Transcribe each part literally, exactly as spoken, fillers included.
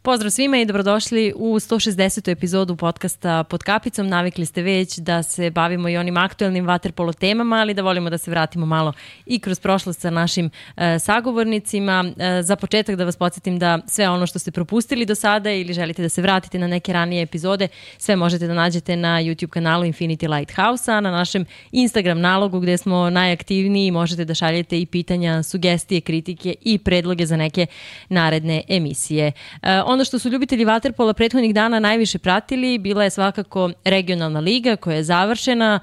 Pozdrav svima i dobrodošli u sto šezdesetu epizodu podcasta Pod kapicom. Navikli ste već da se bavimo i onim aktuelnim vaterpolo temama, ali da volimo da se vratimo malo i kroz prošlost sa našim e, sagovornicima. E, za početak da vas podsjetim da sve ono što ste propustili do sada ili želite da se vratite na neke ranije epizode, sve možete da nađete na YouTube kanalu Infinity Lighthouse-a, na našem Instagram nalogu gde smo najaktivniji. Možete da šaljete i pitanja, sugestije, kritike i predloge za neke naredne emisije. E, Ono što su ljubitelji vaterpola prethodnih dana najviše pratili bila je svakako regionalna liga koja je završena,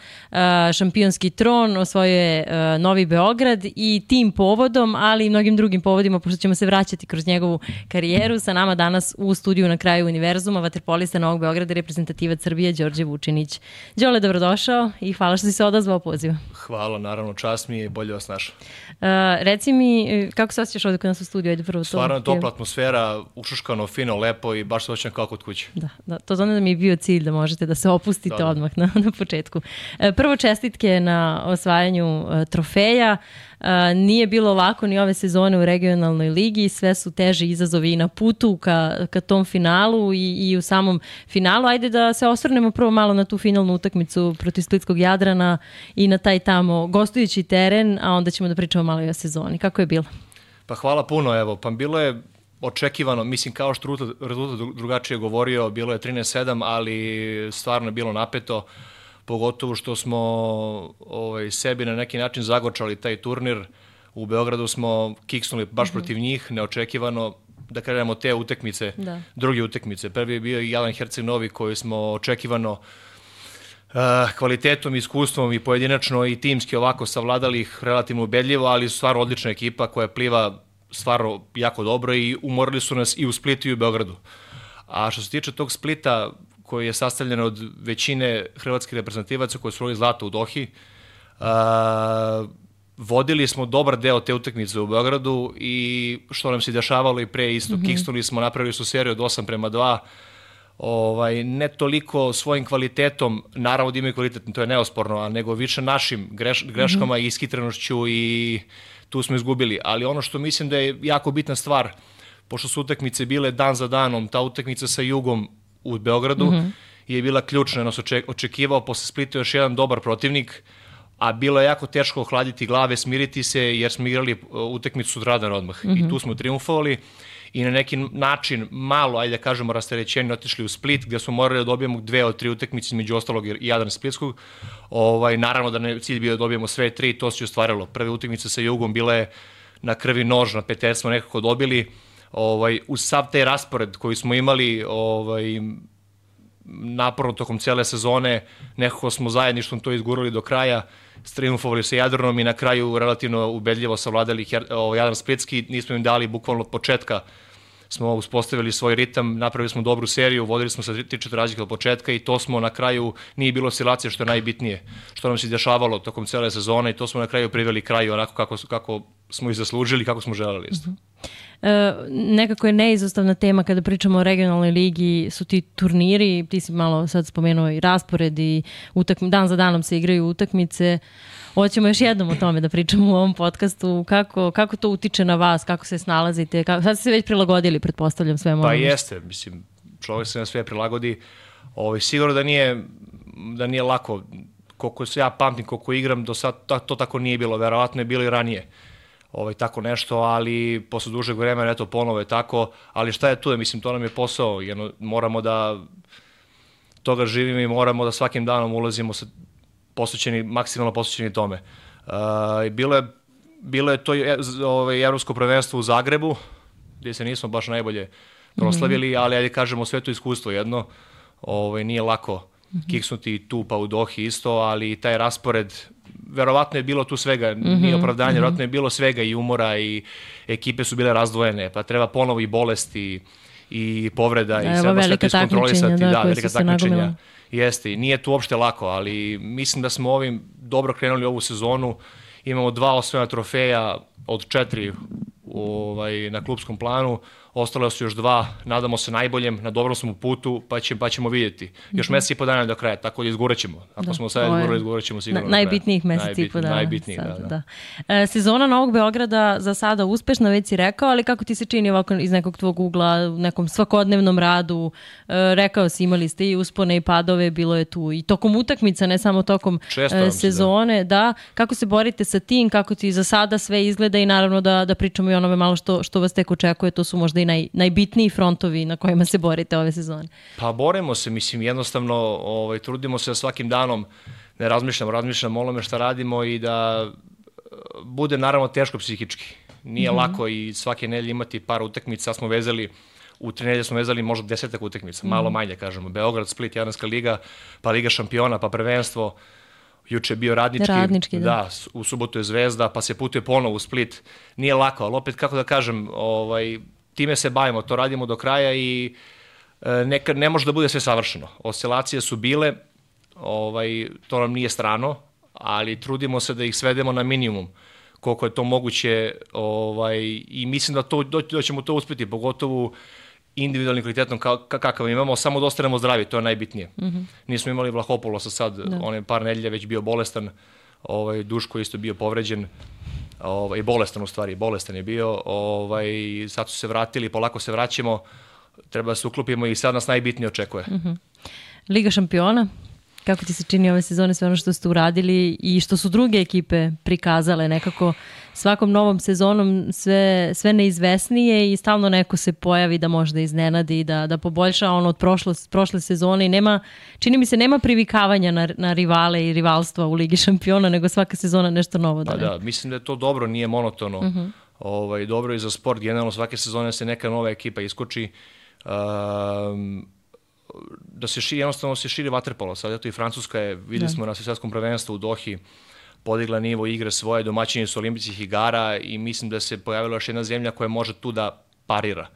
šampionski tron osvojio je Novi Beograd i tim povodom, ali i mnogim drugim povodima, pošto ćemo se vraćati kroz njegovu karijeru. Sa nama danas u studiju Na kraju univerzuma vaterpolista Novog Beograda, reprezentativac Srbije Đorđe Vučinić. Đole, dobrodošao i hvala što si se odazvao pozivu. Hvala, naravno, čast mi je i bolje vas našao. Uh, reci mi, kako se osjećaš ovdje kod nas u studiju? Ajde prvo to. Stvarno je topla atmosfera, ušuškano, fino, lepo i baš se osjećam kao kod kuće. Da, da, to znači da mi je bio cilj da možete da se opustite da, da. odmah na, na početku. Uh, prvo čestitke na osvajanju uh, trofeja. Uh, nije bilo lako ni ove sezone u regionalnoj ligi, sve su teži izazovi i na putu ka, ka tom finalu i, i u samom finalu. Ajde da se osvrnemo prvo malo na tu finalnu utakmicu protiv Splitskog Jadrana i na taj tamo gostujući teren, a onda ćemo da pričamo malo i o sezoni. Kako je bilo? Pa hvala puno, evo, pa bilo je očekivano, mislim kao što rezultat drugačije govorio, bilo je trinaest sedam, ali stvarno je bilo napeto, pogotovo što smo ovaj, sebi na neki način zagorčali taj turnir. U Beogradu smo kiksnuli baš mm-hmm. protiv njih, neočekivano, da krenemo te utakmice, da. druge utakmice. Prvi je bio Jadran Herceg Novi koji smo očekivano uh, kvalitetom, iskustvom i pojedinačno i timski ovako savladali ih relativno ubedljivo, ali stvarno odlična ekipa koja pliva stvarno jako dobro i umorili su nas i u Splitu i u Beogradu. A što se tiče tog Splita, koji je sastavljen od većine hrvatskih reprezentativaca koji su osvojili zlato u Dohi, uh, vodili smo dobar deo te utakmice u Beogradu i što nam se dešavalo i pre isto, mm-hmm. kiksnuli smo, napravili su seriju od osam prema dva, ovaj, ne toliko svojim kvalitetom, naravno da imaju kvalitet, to je neosporno, a nego više našim greš, greškama mm-hmm. i ishitrenošću i tu smo izgubili. Ali ono što mislim da je jako bitna stvar, pošto su utakmice bile dan za danom, ta utakmica sa Jugom u Beogradu mm-hmm. je bila ključna, nas očekivao posle Splita još jedan dobar protivnik, a bilo je jako teško ohladiti glave, smiriti se, jer smo igrali utakmicu sutradan odmah. Mm-hmm. I tu smo triumfovali i na neki način malo, ajde da kažemo, rasterećenje otišli u Split, gde smo morali da dobijemo dve od tri utakmice, među ostalog i Jadran Splitskog. Ovaj, naravno da ne cilj bio da dobijemo sve tri, to se ostvarilo. Prve utakmice sa Jugom bile je na krvi nož, na peter smo nekako dobili. Ovaj, uz sav taj raspored koji smo imali ovaj, naporno tokom cele sezone, nekako smo zajedništvom to izgurali do kraja, triumfovali sa Jadranom i na kraju relativno ubedljivo savladali ovaj, Jadran Splitski. Nismo im dali bukvalno od početka, smo uspostavili svoj ritam, napravili smo dobru seriju, vodili smo sa tri četiri razlike od početka i to smo na kraju, nije bilo oscilacije što je najbitnije, što nam se dešavalo tokom cele sezone i to smo na kraju priveli kraju onako kako, kako smo i zaslužili, kako smo želeli isto. Mm-hmm. E, nekako je neizostavna tema kada pričamo o regionalnoj ligi su ti turniri, ti si malo sad spomenuo i raspored i utakmi, dan za danom se igraju utakmice. Hoćemo još jednom o tome da pričamo u ovom podcastu, kako, kako to utiče na vas, kako se snalazite, kako, sad ste se već prilagodili, pretpostavljam svemu. Pa jeste, mislim, čovjek se na sve prilagodi, ovaj, sigurno da nije, da nije lako, koliko se ja pamtim, koliko igram, do sad to, to tako nije bilo, verovatno je bilo i ranije. Ovaj, tako nešto, ali posle dužeg vremena, eto, ponovo je tako, ali šta je tu, mislim, to nam je posao, jedno, moramo da toga živimo i moramo da svakim danom ulazimo sa posvećeni, maksimalno posvećeni tome. Uh, bilo, je, bilo je to ovaj, evropsko prvenstvo u Zagrebu, gdje se nismo baš najbolje proslavili, mm-hmm. ali ajde kažemo sve to iskustvo jedno, ovaj, nije lako mm-hmm. kiksnuti tu pa u Dohi isto, ali taj raspored, verovatno je bilo tu svega, mm-hmm. nije opravdanje, mm-hmm. verovatno je bilo svega i umora i ekipe su bile razdvojene, pa treba ponovo i bolesti i povreda i sve sve to iskontrolisati, da, da velika takmičenja. Jeste, nije tu uopšte lako, ali mislim da smo ovim dobro krenuli ovu sezonu, imamo dva osvojena trofeja od četiri ovaj, na klubskom planu, ostale su još dva, nadamo se najboljem, na dobrom smo putu, pa, će, pa ćemo vidjeti. Još mesec i po dana do kraja, tako da izgurat ćemo. Ako da, smo sad izgurali, izgurat ćemo sigurno na, najbitnijih mesec i po dana. Najbitnijih, da, da. da. E, sezona Novog Beograda za sada uspešna, već si rekao, ali kako ti se čini ovako iz nekog tvog ugla, u nekom svakodnevnom radu, e, rekao si, imali ste i uspone i padove, bilo je tu i tokom utakmica, ne samo tokom e, sezone, da. da. Kako se borite sa tim, kako ti za sada sve izgleda i naravno da, da pričamo i onome malo što, što vas tek očekuje, to su možda i naj, najbitniji frontovi na kojima se borite ove sezone. Pa borimo se, mislim, jednostavno ovaj, trudimo se svakim danom, ne razmišljamo, razmišljamo o onome šta radimo i da bude naravno teško psihički. Nije mm-hmm. lako i svake nedelje imati par utakmica, smo vezali, u tri nedelje smo vezali možda desetak utakmica, mm-hmm. malo manje kažemo, Beograd, Split, Jadranska liga, pa Liga šampiona, pa prvenstvo. Juče je bio radnički, radnički da. da, u subotu je Zvezda, pa se putuje ponovo u Split. Nije lako, ali opet, kako da kažem, ovaj, time se bavimo, to radimo do kraja i e, nekad ne može da bude sve savršeno. Oscilacije su bile, ovaj, to nam nije strano, ali trudimo se da ih svedemo na minimum, koliko je to moguće ovaj, i mislim da, to, da ćemo to uspjeti, pogotovo individualnim kvalitetom kakav imamo, samo da ostanemo zdravi, to je najbitnije. Mm-hmm. Nismo imali Vlahopoulosa sad, da. On je par nedelja već bio bolestan, ovaj, Duško isto bio povređen, ovaj, bolestan u stvari, bolestan je bio, ovaj, sad su se vratili, polako se vraćamo, treba da se uklopimo i sad nas najbitnije očekuje. Mm-hmm. Liga šampiona, kako ti se čini ove sezone, sve ono što ste uradili i što su druge ekipe prikazale nekako svakom novom sezonom sve, sve neizvesnije i stalno neko se pojavi da možda iznenadi, da, da poboljša ono od prošle, prošle sezone i nema, čini mi se, nema privikavanja na, na rivale i rivalstva u Ligi šampiona, nego svaka sezona nešto novo. Da, pa da, mislim da je to dobro, nije monotono. Uh-huh. Ovaj, dobro i za sport, generalno svake sezone se neka nova ekipa iskoči. Um, da se širi, jednostavno se širi vaterpolo. Sad eto i Francuska je, videli da. smo na svjetskom prvenstvu u Dohi, podigla nivo igre svoje, domaćini su olimpijskih igara i mislim da se pojavila još jedna zemlja koja može tu da parira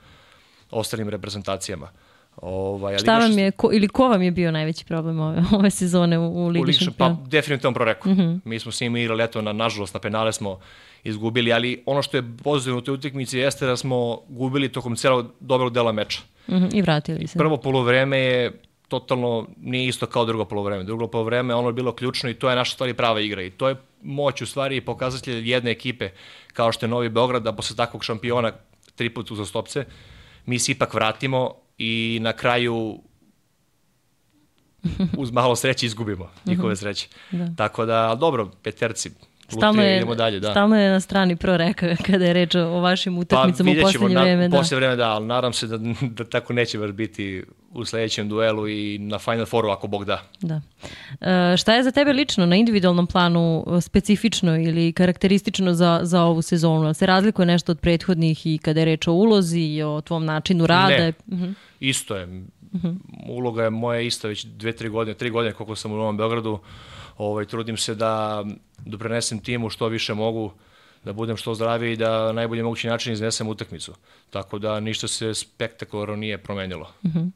ostalim reprezentacijama. Ovaj, Šta vam je, ko, ili ko vam je bio najveći problem ove, ove sezone u, u Ligi šampiona? Pa definitivno Proreko. Mm-hmm. Mi smo s njim igrali, eto, na, nažalost, na penale smo izgubili, ali ono što je pozitivno u toj utakmici jeste da smo gubili tokom celog dobrog dela meča. Mm-hmm. I vratili se. Prvo poluvreme je totalno nije isto kao drugo poluvreme. Drugo poluvreme ono je bilo ključno i to je naša stvari prava igra i to je moć u stvari i pokazatelj jedne ekipe kao što je Novi Beograd da posle takvog šampiona tri puta uzastopce mi se ipak vratimo i na kraju uz malo sreće izgubimo njihove sreće. Da. Tako da, dobro, peterci, Stalno je, idemo dalje, da. Stalno je na strani Proreka kada je reč o vašim utakmicama pa, u posljednje vreme. Pa posljednje vreme, da, ali nadam se da, da tako neće baš biti u sljedećem duelu i na Final Fouru ako Bog da. Da. E, šta je za tebe lično na individualnom planu specifično ili karakteristično za, za ovu sezonu? Se razlikuje nešto od prethodnih i kada je reč o ulozi i o tvom načinu rada? Ne, uh-huh. isto je. Uh-huh. Uloga je moja ista već dve, tri godine, tri godine koliko sam u Novom Beogradu. Ovaj, trudim se da doprinesem timu što više mogu, da budem što zdraviji i da na najbolji mogući način iznesem utakmicu. Tako da ništa se spektakularno nije promenilo. Uh-huh.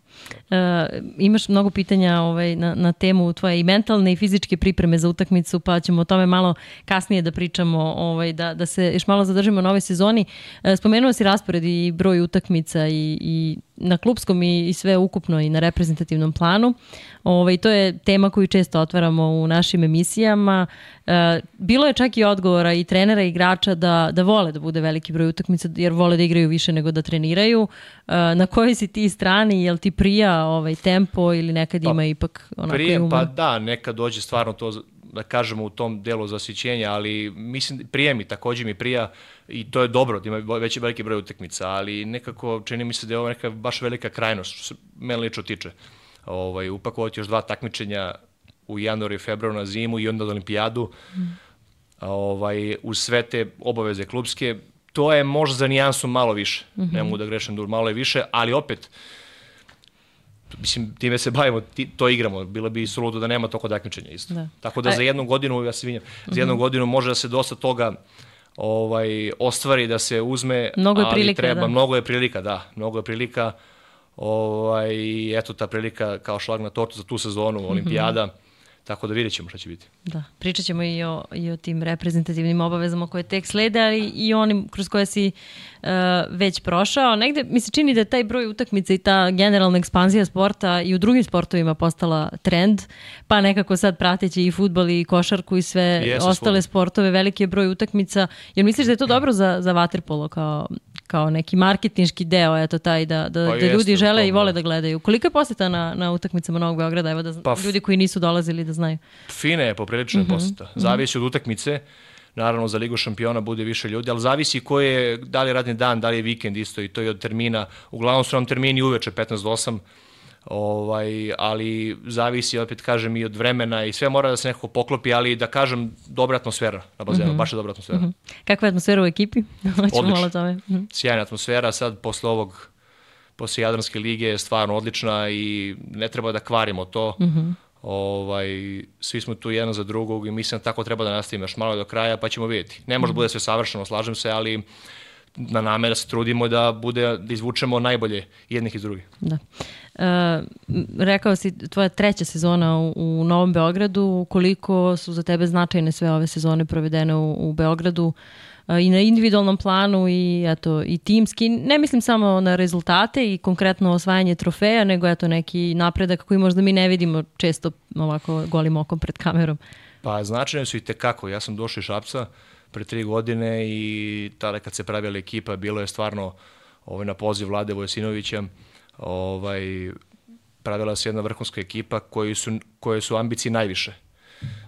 E, imaš mnogo pitanja ovaj, na, na temu tvoje i mentalne i fizičke pripreme za utakmicu, pa ćemo o tome malo kasnije da pričamo, ovaj, da, da se još malo zadržimo na ovoj sezoni. E, spomenuo si raspored i broj utakmica i, i na klupskom i, i sve ukupno i na reprezentativnom planu. Ovaj, to je tema koju često otvaramo u našim emisijama. E, bilo je čak i odgovora i trenera i igrača da, da vole da bude veliki broj utakmica jer vole da igraju više nego da treniraju. E, na kojoj si ti strani? Jel ti prija ovaj tempo ili nekad pa, ima ipak onako prije, uma? Pa da, nekad dođe stvarno to da kažemo u tom delu zasićenja, ali mislim prije mi, također mi prija i to je dobro da ima veći veliki broj utakmica, ali nekako čini mi se da je ovo neka baš velika krajnost što se mene lično tiče. Ovaj, upakovati još dva takmičenja u januaru i februaru na zimu i onda na olimpijadu mm. ovaj, uz sve te obaveze klubske, to je možda za nijansu malo više, mm-hmm. ne mogu da grešim dur, malo je više, ali opet mislim, time se bavimo, to igramo, bilo bi suludo da nema toliko takmičenja isto. Da. Tako da Aj. za jednu godinu, ja se vinjam, mm-hmm. za jednu godinu može da se dosta toga ovaj, ostvari, da se uzme, mnogo je ali prilika, treba, da. mnogo je prilika, da, mnogo je prilika, ovaj, eto ta prilika kao šlag na tortu za tu sezonu, mm-hmm. olimpijada, tako da vidjet ćemo šta će biti. Da, pričat ćemo i o, i o tim reprezentativnim obavezama koje tek slede, ali i onim kroz koje si uh, već prošao. Negde mi se čini da je taj broj utakmica i ta generalna ekspanzija sporta i u drugim sportovima postala trend, pa nekako sad prateći i fudbal i košarku i sve Jesu, ostale svoj. sportove, veliki je broj utakmica. Jel misliš da je to dobro za, za vaterpolo kao, kao neki marketinški deo, eto taj da, da, pa da ljudi jeste, žele i vole da gledaju? Koliko je poseta na, na utakmicama Novog Beograda? Evo da pa, ljudi koji nisu dolazili da znaju. Fine je poprilično mm-hmm. poseta. Zavisi od utakmice. Naravno, za Ligu šampiona bude više ljudi, ali zavisi ko je, da li je radni dan, da li je vikend isto i to je od termina. Uglavnom su nam termini uveče petnaest do osam, ovaj, ali zavisi, opet kažem, i od vremena i sve mora da se nekako poklopi, ali da kažem, dobra atmosfera na bazenu, mm-hmm. baš je dobra atmosfera. Mm-hmm. Kakva je atmosfera u ekipi? Odlična. Mm-hmm. Sjajna atmosfera, sad posle ovog, posle Jadranske lige je stvarno odlična i ne treba da kvarimo to. Mm-hmm. Ovaj, svi smo tu jedan za drugog i mislim da tako treba da nastavimo još malo do kraja pa ćemo vidjeti. Ne može da bude sve savršeno, slažem se, ali na nama je da se trudimo da, bude, da izvučemo najbolje jednih iz drugih. Da. E, rekao si, tvoja treća sezona u, u Novom Beogradu, koliko su za tebe značajne sve ove sezone provedene u, u Beogradu i na individualnom planu i eto i timski. Ne mislim samo na rezultate i konkretno osvajanje trofeja, nego eto neki napredak koji možda mi ne vidimo često ovako golim okom pred kamerom. Pa značajne su i tekako. Ja sam došao iz Šapca pre tri godine i tada kad se pravila ekipa bilo je stvarno ovaj, na poziv Vlade Vojsinovića ovaj, pravila se jedna vrhunska ekipa koji su, koje su ambicije najviše.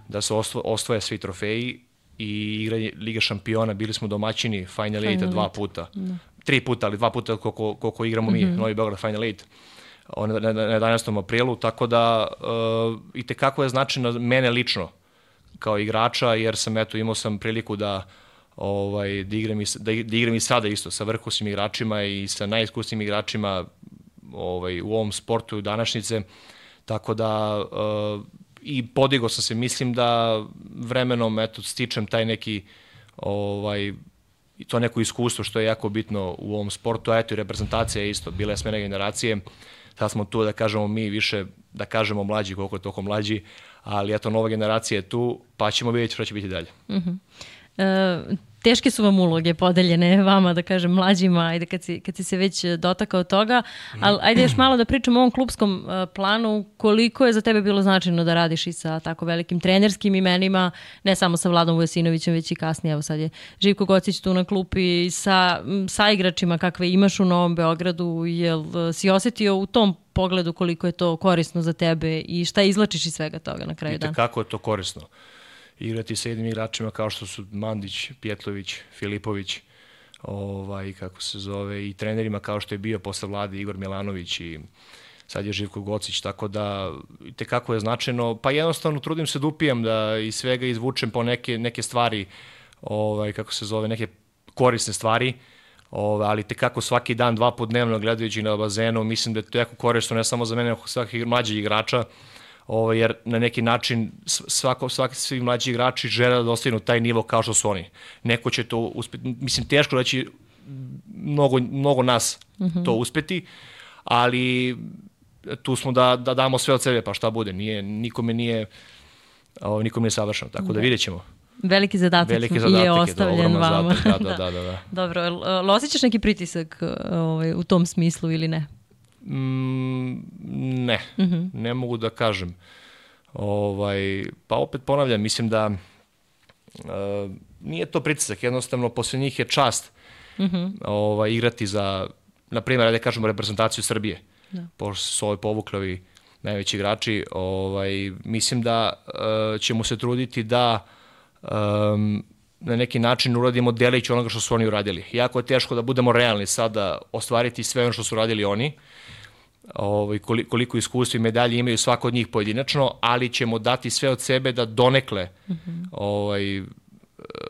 Da se osvoje svi trofeji i igranje Liga šampiona, bili smo domaćini Final Eight dva puta. Da. Tri puta, ali dva puta koliko, koliko igramo mi, mm-hmm. Novi Beograd Final Eight na, na, na jedanaestom aprilu, tako da uh, i tekako je značajno mene lično kao igrača, jer sam eto imao sam priliku da ovaj da igram i da, da igram i sada isto sa vrhunskim igračima i sa najiskusnijim igračima ovaj u ovom sportu današnjice, tako da uh, i podigao sam se, mislim da vremenom eto stičem taj neki ovaj i to neko iskustvo što je jako bitno u ovom sportu, a eto i reprezentacija je isto, bile smene generacije, sad smo tu da kažemo mi više, da kažemo mlađi koliko je toliko mlađi, ali eto nova generacija je tu, pa ćemo vidjeti što će biti dalje. Mm-hmm. E, teške su vam uloge podeljene vama, da kažem, mlađima, ajde kad si, kad si se već dotakao toga, ali ajde još malo da pričamo o ovom klupskom uh, planu, koliko je za tebe bilo značajno da radiš i sa tako velikim trenerskim imenima, ne samo sa Vladom Vujasinovićem, već i kasnije, evo sad je Živko Gocić tu na klupi, sa, sa igračima kakve imaš u Novom Beogradu, jel si osetio u tom pogledu koliko je to korisno za tebe i šta izlačiš iz svega toga na kraju dana? I kako je to korisno? Igrati sa jednim igračima kao što su Mandić, Pjetlović, Filipović, ovaj, kako se zove, i trenerima kao što je bio posle Vlade Igor Milanović i sad je Živko Gocić, tako da itekako je značajno, pa jednostavno trudim se da upijem, da iz svega izvučem po neke, neke stvari, ovaj, kako se zove, neke korisne stvari, ovaj, ali itekako svaki dan, dva put dnevno gledajući na bazenu, mislim da je to jako korisno, ne samo za mene, nego svakih mlađih igrača, Ovo, jer na neki način svako, svaki, svi mlađi igrači žele da dostignu taj nivo kao što su oni. Neko će to uspeti, mislim teško da će mnogo, mnogo nas mm-hmm. to uspeti, ali tu smo da, da damo sve od sebe, pa šta bude, nije, nikome nije, ovo, nikome nije savršeno, tako da, da vidjet ćemo. Veliki zadatak, Veliki zadatak je ostavljen je vama. Zadatak, da, da, da, da. Dobro, ali osjećaš neki pritisak ovaj, u tom smislu ili ne? Mm, ne, mm-hmm. ne mogu da kažem. Ovaj, pa opet ponavljam, mislim da uh, nije to pritisak, jednostavno posle njih je čast mm-hmm. ovaj, igrati za, na primjer, da kažemo reprezentaciju Srbije, da. Pošto su ovaj povukli najveći igrači, ovaj, mislim da uh, ćemo se truditi da um, na neki način uradimo delić onoga što su oni uradili. Jako je teško da budemo realni sada ostvariti sve ono što su uradili oni, ovaj, koliko iskustva i medalje imaju svako od njih pojedinačno, ali ćemo dati sve od sebe da donekle mm-hmm. ovaj,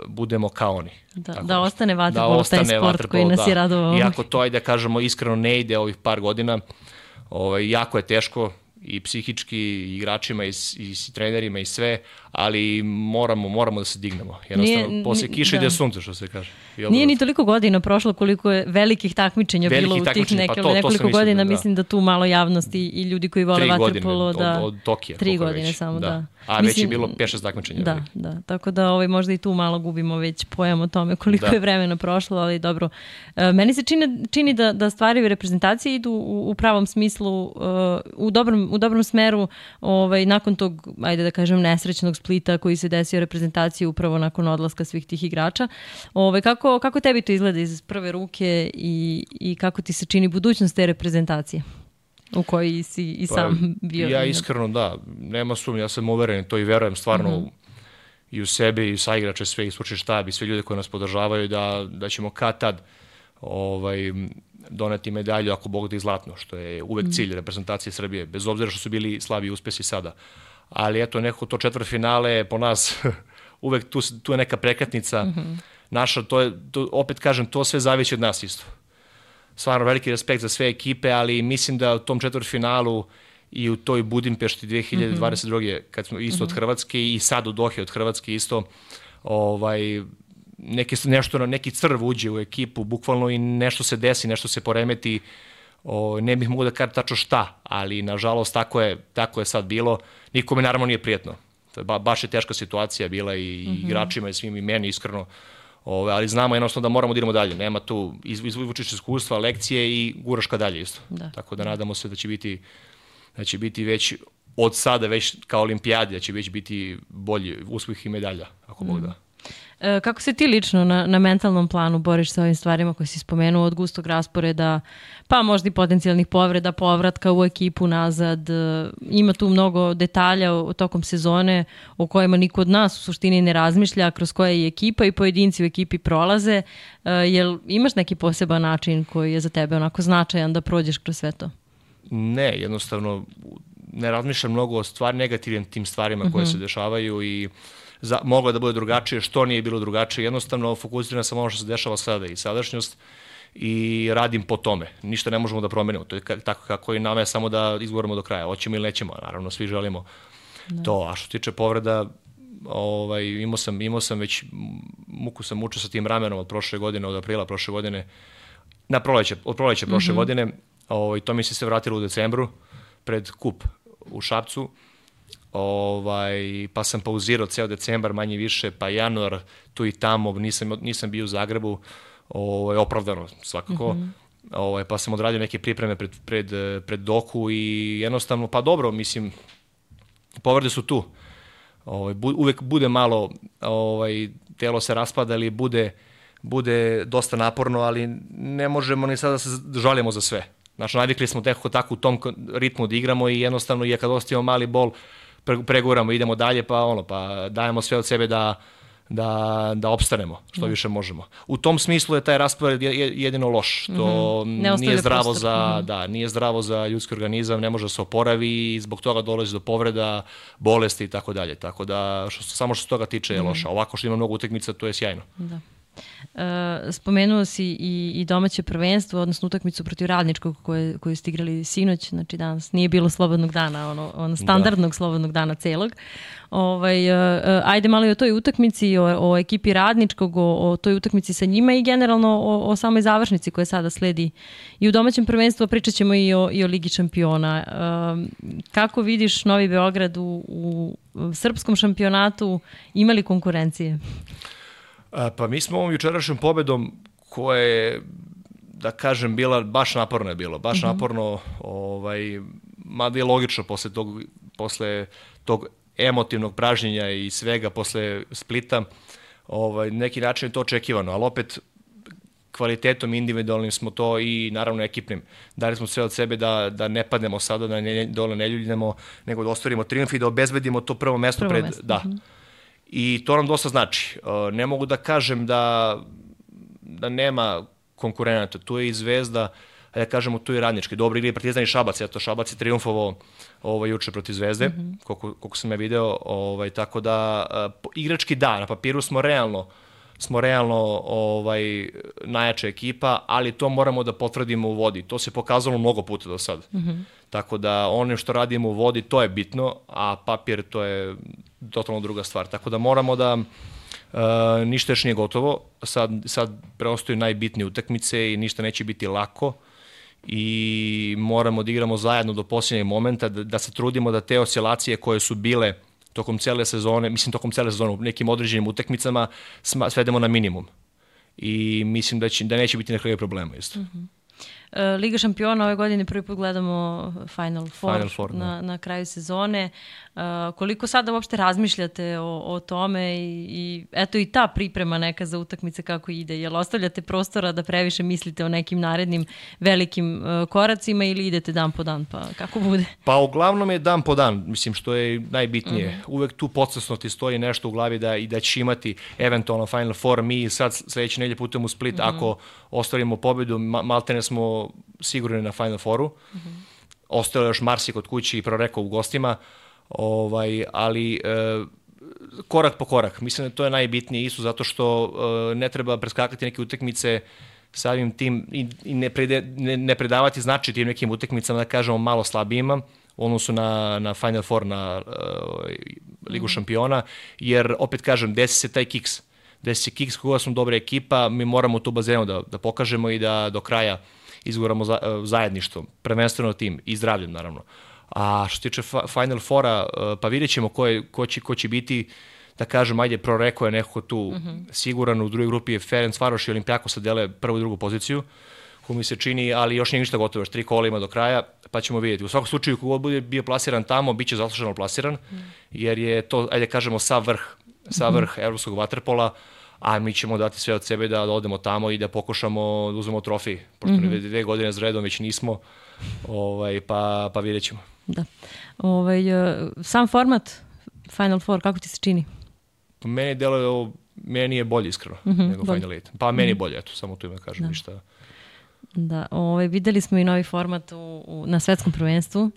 budemo kao oni. Da, da ostane vaterpolo, taj sport vaterpolo, koji nas da. je radovao. Iako to, ajde da kažemo, iskreno ne ide ovih par godina, ovaj, jako je teško, i psihički, i igračima, i, i, i trenerima, i sve, ali moramo, moramo da se dignemo. Jednostavno, nije, posle kiše ide sunce, što se kaže. Nije ni toliko godina prošlo koliko je velikih takmičenja bilo u tih neke, pa to, nekoliko to godina. Da. Mislim da tu malo javnosti i ljudi koji vole vaterpolo. Da, od, od Tokija. Tri godine već. Samo, da. da. A mislim, već je bilo pet šest takmičenja. Da, velikih. Da. Tako da ovaj, možda i tu malo gubimo već pojam o tome koliko da. je vremena prošlo, ali dobro. E, meni se čini, čini da, da stvari u reprezentaciji idu u, u pravom smislu, uh, u, dobrom, u dobrom smeru, ovaj, nakon tog, ajde da kažem, nesrećnog Splita koji se desio reprezentaciji upravo nakon odlaska svih tih igrača. Ovaj, kako, kako tebi to izgleda iz prve ruke i, i kako ti se čini budućnost te reprezentacije u kojoj si i sam pa, bio? Ja iskreno da, nema sumnje, ja sam uveren, to i verujem stvarno uh-huh. i u sebe i sa igrače, sve i stručni štab i sve ljude koji nas podržavaju da, da ćemo kad tad ovaj, doneti medalju ako Bog da i zlatno, što je uvek uh-huh. cilj reprezentacije Srbije, bez obzira što su bili slabi uspesi sada. Ali eto, neko to četvrtfinale po nas uvek tu, tu je neka prekretnica uh-huh. naša, to je, to, opet kažem, to sve zavisi od nas isto. Stvarno veliki respekt za sve ekipe, ali mislim da u tom četvrtfinalu i u toj Budimpešti dve hiljade dvadeset druge Mm-hmm. kad smo isto mm-hmm. od Hrvatske i sad u Dohi od Hrvatske isto, ovaj, neki, nešto, neki crv uđe u ekipu, bukvalno i nešto se desi, nešto se poremeti, o, ne bih mogu da kažem tačno šta, ali nažalost tako je, tako je sad bilo. Nikome naravno nije prijetno. Ba, baš je teška situacija bila i, mm-hmm. i igračima i svim i meni iskreno. Ove, ali znamo jednostavno da moramo da idemo dalje. Nema tu, izvučiš iskustva, lekcije i guraš ka dalje isto. Da. Tako da nadamo se da će biti, da će biti već od sada, već kao olimpijadi, da će već biti bolji uspjeh i medalja, ako Bog da. E, kako se ti lično na, na mentalnom planu boriš sa ovim stvarima koje si spomenuo, od gustog rasporeda, pa možda i potencijalnih povreda, povratka u ekipu nazad? E, ima tu mnogo detalja o, o tokom sezone o kojima niko od nas u suštini ne razmišlja, kroz koje i ekipa i pojedinci u ekipi prolaze. E, jel imaš neki poseban način koji je za tebe onako značajan da prođeš kroz sve to? Ne, jednostavno ne razmišljam mnogo o stvari, negativnim tim stvarima uh-huh. koje se dešavaju i Za, moglo da bude drugačije, što nije bilo drugačije, jednostavno fokusiram sam ono što se dešava sada i sadašnjost i radim po tome. Ništa ne možemo da promenimo, to je tako kako i nama je samo da izgovorimo do kraja, hoćemo ili nećemo, naravno svi želimo da. To, a što se tiče povreda, ovaj, imao sam, imao sam već, muku sam mučio sa tim ramenom od prošle godine, od aprila prošle godine, na proleće, od proleće prošle mm-hmm. godine, ovaj, to mi se sve vratilo u decembru, pred kup u Šapcu, Ovaj, pa sam pauzirao ceo decembar, manje više, pa januar, tu i tamo, nisam, nisam bio u Zagrebu, ovaj, opravdano svakako, mm-hmm. ovaj, pa sam odradio neke pripreme pred, pred, pred Doku i jednostavno, pa dobro, mislim, povrede su tu, ovaj, bu, uvek bude malo, ovaj, telo se raspada ili bude, bude dosta naporno, ali ne možemo ni sada da se žalimo za sve. Znači, navikli smo teko tako u tom ritmu da igramo i jednostavno je kad ostavimo mali bol, preguramo, idemo dalje, pa ono, pa dajemo sve od sebe da, da, da opstanemo što mm. više možemo. U tom smislu je taj raspored jedino loš. To mm-hmm. nije zdravo prostor. za, mm-hmm. da, nije zdravo za ljudski organizam, ne može da se oporavi i zbog toga dolazi do povreda, bolesti i tako dalje. Tako da što, samo što se toga tiče je mm-hmm. loša. Ovako što ima mnogo utakmica, to je sjajno. Da. Uh, spomenuo si i, i domaće prvenstvo, odnosno utakmicu protiv Radničkog koje, koju ste igrali sinoć, znači danas nije bilo slobodnog dana, ono, ono standardnog da. slobodnog dana celog. Ovaj, uh, ajde malo i o toj utakmici, o, o ekipi Radničkog, o, o toj utakmici sa njima i generalno o, o samoj završnici koja sada sledi i u domaćem prvenstvu, pričat ćemo i o, i o Ligi šampiona. Uh, kako vidiš Novi Beograd u, u srpskom šampionatu, ima li konkurencije? A, pa mi smo ovom jučerašnjom pobedom koja je, da kažem, bila, baš naporno je bilo, baš mm-hmm. naporno, ovaj, mada je logično posle tog, posle tog emotivnog pražnjenja i svega posle Splita, ovaj, neki način je to očekivano, ali opet kvalitetom individualnim smo to i naravno ekipnim. Dali smo sve od sebe da, da ne padnemo sada, da ne, dole ne ljuljnemo, nego da ostvarimo triumf i da obezbedimo to prvo mesto prvo pred... Mesto. Da. Mm-hmm. I to nam dosta znači. Ne mogu da kažem da, da nema konkurenata. Tu je i Zvezda, a ja kažemo tu je Radnički. Dobro igri Partizan i Šabac. Eto, Šabac je triumfovao ovaj, juče protiv Zvezde, mm-hmm. koliko, koliko sam ja video. Ovaj, tako da, igrački da, na papiru smo realno, smo realno ovaj, najjača ekipa, ali to moramo da potvrdimo u vodi. To se pokazalo mnogo puta do sada. Mm-hmm. Tako da ono što radimo u vodi, to je bitno, a papir to je totalno druga stvar. Tako da moramo da, Uh, ništa još nije gotovo, sad, sad preostaju najbitnije utakmice i ništa neće biti lako i moramo da igramo zajedno do posljednjeg momenta, da, da se trudimo da te oscilacije koje su bile tokom cele sezone, mislim tokom cele sezone u nekim određenim utakmicama svedemo na minimum i mislim da, će, da neće biti nekakve problema isto. Mm-hmm. Liga šampiona ove godine prvi put gledamo Final Four, Final Four na, na kraju sezone. Uh, koliko sada uopšte razmišljate o, o tome i, i eto i ta priprema neka za utakmice kako ide? Jel ostavljate prostora da previše mislite o nekim narednim velikim uh, koracima ili idete dan po dan? Pa kako bude? Pa uglavnom je dan po dan, mislim što je najbitnije. Uh-huh. Uvek tu podsvesno ti stoji nešto u glavi da, i da će imati eventualno Final Four. Mi sad sledeće nedelje putujemo u Split, uh-huh. ako ostvarimo pobedu, ma, maltene smo sigurni na Final Fouru. Uh-huh. Ostalo još Marsi kod kući i Proreko u gostima. Ovaj, ali e, korak po korak, mislim da to je najbitnije isto zato što e, ne treba preskakati neke utakmice samim tim i, i ne, prede, ne, ne predavati znači tim nekim utakmicama da kažemo malo slabijima u odnosu na, na Final Four, na e, Ligu mm. šampiona, jer opet kažem, desi se taj kiks, desi se kiks koga smo dobra ekipa, mi moramo tu bazenu da, da pokažemo i da do kraja izguramo za, zajedništvo, prvenstveno tim i zdravljem naravno. A što se tiče Final Fora, pa vidjet ćemo ko, je, ko, će, ko će biti, da kažem, ajde, Proreko je nekako tu mm-hmm. siguran, u drugoj grupi je Ferencvaroš i Olimpijakos se dele prvu i drugu poziciju, ko mi se čini, ali još nije ništa gotovo, još tri kola ima do kraja, pa ćemo vidjeti. U svakom slučaju, kogod bude bio plasiran tamo, bit će zasluženo plasiran, mm. jer je to, ajde kažemo, sav vrh, sav vrh mm-hmm. evropskog vaterpola, a mi ćemo dati sve od sebe da, da odemo tamo i da pokušamo da uzmemo trofej, pošto mm-hmm. dve godine za redom već nismo, ovaj, pa, pa vidjet ćemo. Da. Ovaj, sam format Final Four, kako ti se čini? Meni deluje ovo, meni je bolje iskreno mm-hmm, nego bolje. Final Eight. Pa meni je bolje, eto, samo tu ime kažem, da. ništa. Da, ovaj, videli smo i novi format u, u, na svetskom prvenstvu.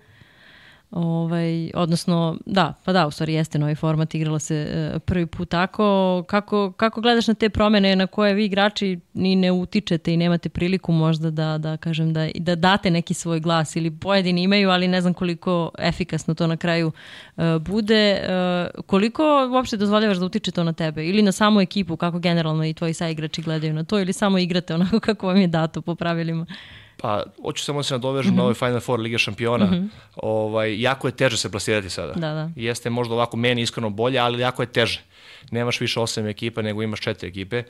Ovaj, odnosno, da, pa da, u stvari jeste novi format, igralo se e, prvi put tako. Kako, kako gledaš na te promene na koje vi igrači ni ne utičete i nemate priliku možda da, da kažem, da, da date neki svoj glas ili pojedini imaju, ali ne znam koliko efikasno to na kraju e, bude. E, koliko uopšte dozvoljavaš da utiče to na tebe ili na samu ekipu, kako generalno i tvoji saigrači gledaju na to ili samo igrate onako kako vam je dato po pravilima? Pa, hoću samo da se nadovežem mm-hmm. na ovaj Final Four Lige šampiona. Mm-hmm. Ovaj, jako je teže se plasirati sada. Da, da. Jeste možda ovako meni iskreno bolje, ali jako je teže. Nemaš više osam ekipa, nego imaš četiri ekipe.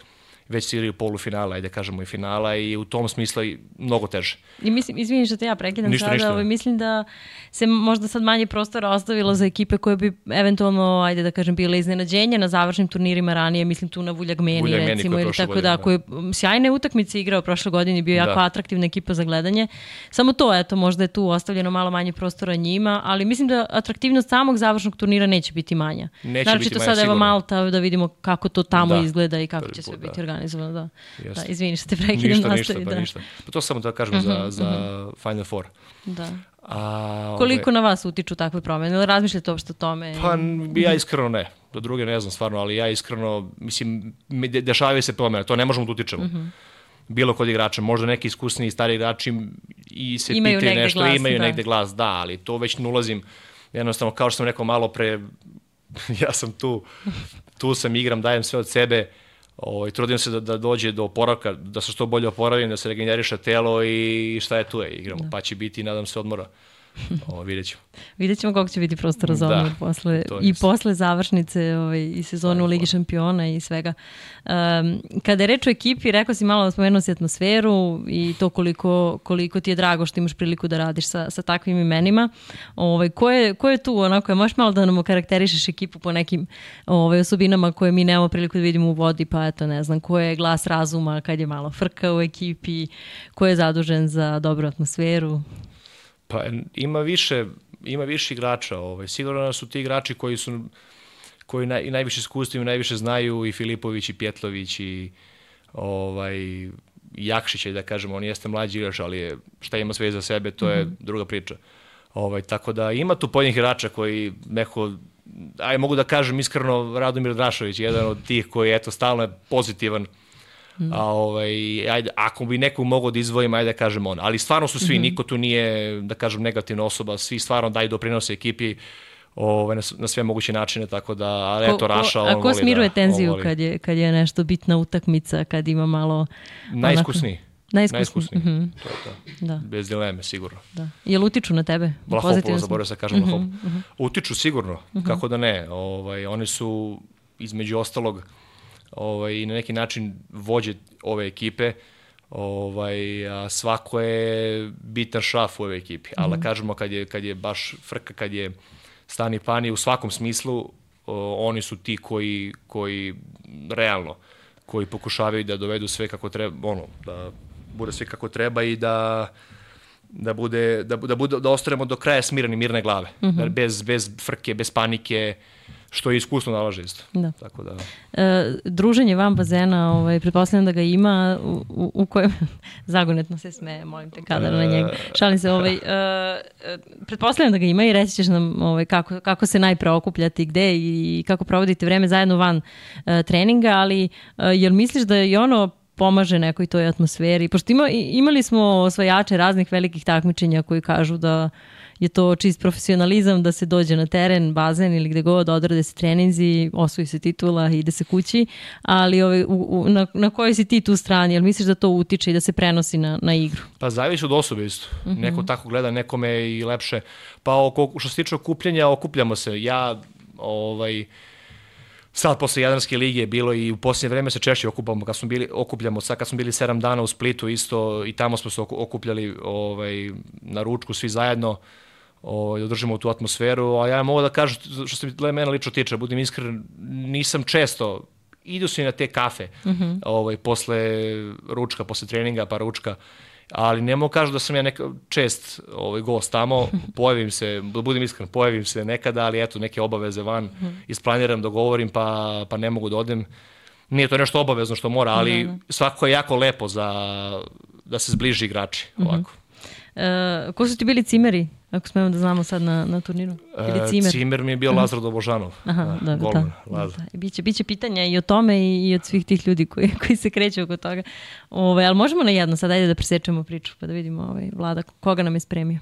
Već si igraju polufinala, ajde kažemo i finala i u tom smislu je mnogo teže. I mislim, izvini što te ja prekidam ništa, sada, ništa. Ovaj, mislim da se možda sad manje prostora ostavilo za ekipe koje bi eventualno, ajde da kažem, bile iznenađenje na završnim turnirima ranije, mislim tu na Vuljagmeni, Vuljagmeni recimo, ili tako godine, da, da, koji je sjajne utakmice igrao prošle godine, bio jako da. atraktivna ekipa za gledanje. Samo to, eto, možda je tu ostavljeno malo manje prostora njima, ali mislim da atraktivnost samog završnog turnira neće biti manja. Neće Naravno, biti to manja, sada sigurno. Evo Malta, da vidimo kako to tamo da. izgleda i kako će sve biti da. organizovano. Da. Da, izvini što te prekidam. Ništa, nastavi, ništa, pa da. ništa. Pa to samo da kažem uh-huh, za, za uh-huh. Final Four. Da. A, koliko ove... na vas utiču takve promene? Ili razmišljate uopšte o tome? Pa ja iskreno ne. Do druge ne znam stvarno, ali ja iskreno, mislim, dešavaju se promene, to ne možemo da utičemo. Uh-huh. Bilo kod igrača, možda neki iskusni i stari igrači i se imaju pitaju nešto, glas, imaju da. negde glas, da, ali to već ne ulazim. Jednostavno, kao što sam rekao malo pre, ja sam tu, tu sam, igram, dajem sve od sebe, o, i trudim se da, da dođe do oporavka, da se što bolje oporavim, da se regeneriše telo i šta je tu je, igramo, da. Pa će biti, nadam se, odmora. O, vidjet ćemo. Vidjet ćemo koliko će biti prostora za odmor posle, i jest. posle završnice ovaj, i sezonu u Ligi šampiona i svega. Um, kada je reč o ekipi, rekao si malo, spomenuo si atmosferu i to koliko, koliko ti je drago što imaš priliku da radiš sa, sa takvim imenima. Ovaj, ko, je, ko je tu, onako, možeš malo da nam okarakterišeš ekipu po nekim ovaj, osobinama koje mi nemamo priliku da vidimo u vodi, pa eto, ne znam, ko je glas razuma kad je malo frka u ekipi, ko je zadužen za dobru atmosferu? Pa ima više, ima više igrača, ovaj. Sigurno su ti igrači koji su koji naj, najviše iskustva i najviše znaju, i Filipović i Pjetlović i ovaj Jakšić, da kažemo, on jeste mlađi igrač, ali je, šta ima sve za sebe, to je mm-hmm. druga priča. Ovaj, tako da ima tu pojedinih igrača koji neko, aj mogu da kažem iskreno, Radomir Drašović, jedan od tih koji eto stalno je pozitivan. Mm. A, ovaj, ajde, ako bi nekog mogao da izdvojim, ajde da kažem on. Ali stvarno su svi, mm-hmm. niko tu nije, da kažem, negativna osoba, svi stvarno daju doprinose ekipi. ovaj, na, na sve moguće načine, tako da, ali eto, Raša, on voli da... A ko smiruje tenziju kad je, kad je nešto bitna utakmica, kad ima malo... Najiskusniji. Najiskusniji. Najiskusniji. Mm-hmm. To je to. Da. Bez dileme, sigurno. Da. Jel utiču na tebe? Vlahopovo, zaboravio se kažem mm-hmm. Vlahopovo. Mm-hmm. Utiču sigurno, mm-hmm. kako da ne. Ovaj, oni su između ostalog ovaj, na neki način vođe ove ekipe, ovaj, a svako je bitan šraf u ove ekipi. Mm-hmm. Ali kažemo kad je, kad je baš frka, kad je stani pani u svakom smislu, o, oni su ti koji, koji realno, koji pokušavaju da dovedu sve kako treba, ono, da bude sve kako treba i da da bude da da bude da ostanemo do kraja smireni, mirne glave, mm-hmm. bez bez frke, bez panike, što je iskusno nalaže isto. Da. Tako da e, druženje van bazena, ovaj pretpostavljam da ga ima u, u, u kojem zagonetno se smeje, molim te kadar na njega. Šalim se, ovaj e, pretpostavljam da ga ima i reći ćeš nam ovaj kako kako se najpre okupljati, gde i kako provodite vreme zajedno van e, treninga, ali e, jel misliš da je ono pomaže nekoj toj atmosferi? Pošto ima, imali smo osvajače raznih velikih takmičenja koji kažu da je to čist profesionalizam, da se dođe na teren, bazen ili gde god, odrade se treninzi, osvoji se titula i ide se kući, ali ovaj, u, u, na, na kojoj si ti tu strani? Jel misliš da to utiče i da se prenosi na, na igru? Pa zavisi od osobe isto. Mm-hmm. Neko tako gleda, nekome je i lepše. Pa oko, što se tiče okupljanja, okupljamo se. Ja, ovaj... Sad, posle Jadranske lige je bilo i u posljednje vreme se češće okupamo, kad smo bili, okupljamo, sad kad smo bili sedam dana u Splitu isto i tamo smo se okupljali ovaj, na ručku svi zajedno, ovaj, održimo tu atmosferu, a ja mogu da kažem, što se mene lično tiče, budem iskren, nisam često, idu se i na te kafe, mm-hmm. ovaj, posle ručka, posle treninga, pa ručka, ali ne mogu kažu da sam ja neka čest ovaj, gost tamo, pojavim se, da budem iskren, pojavim se nekada, ali eto, neke obaveze van, isplaniram, dogovorim, pa, pa ne mogu da odem. Nije to nešto obavezno što mora, ali mm-hmm. svakako je jako lepo za, da se zbliži igrači, ovako. Mm-hmm. E, ko su ti bili cimeri, ako smemo da znamo sad na, na turniru? Ili cimer? E, cimer mi je bio uh-huh. Lazar Dobožanov. Aha, da, golman, da, Lazar. Da. Biće, biće pitanja i o tome i, i od svih tih ljudi koji, koji se kreću oko toga. Ove, ali možemo na jedno sad, ajde da presečemo priču pa da vidimo ovaj, Vlada, koga nam je spremio.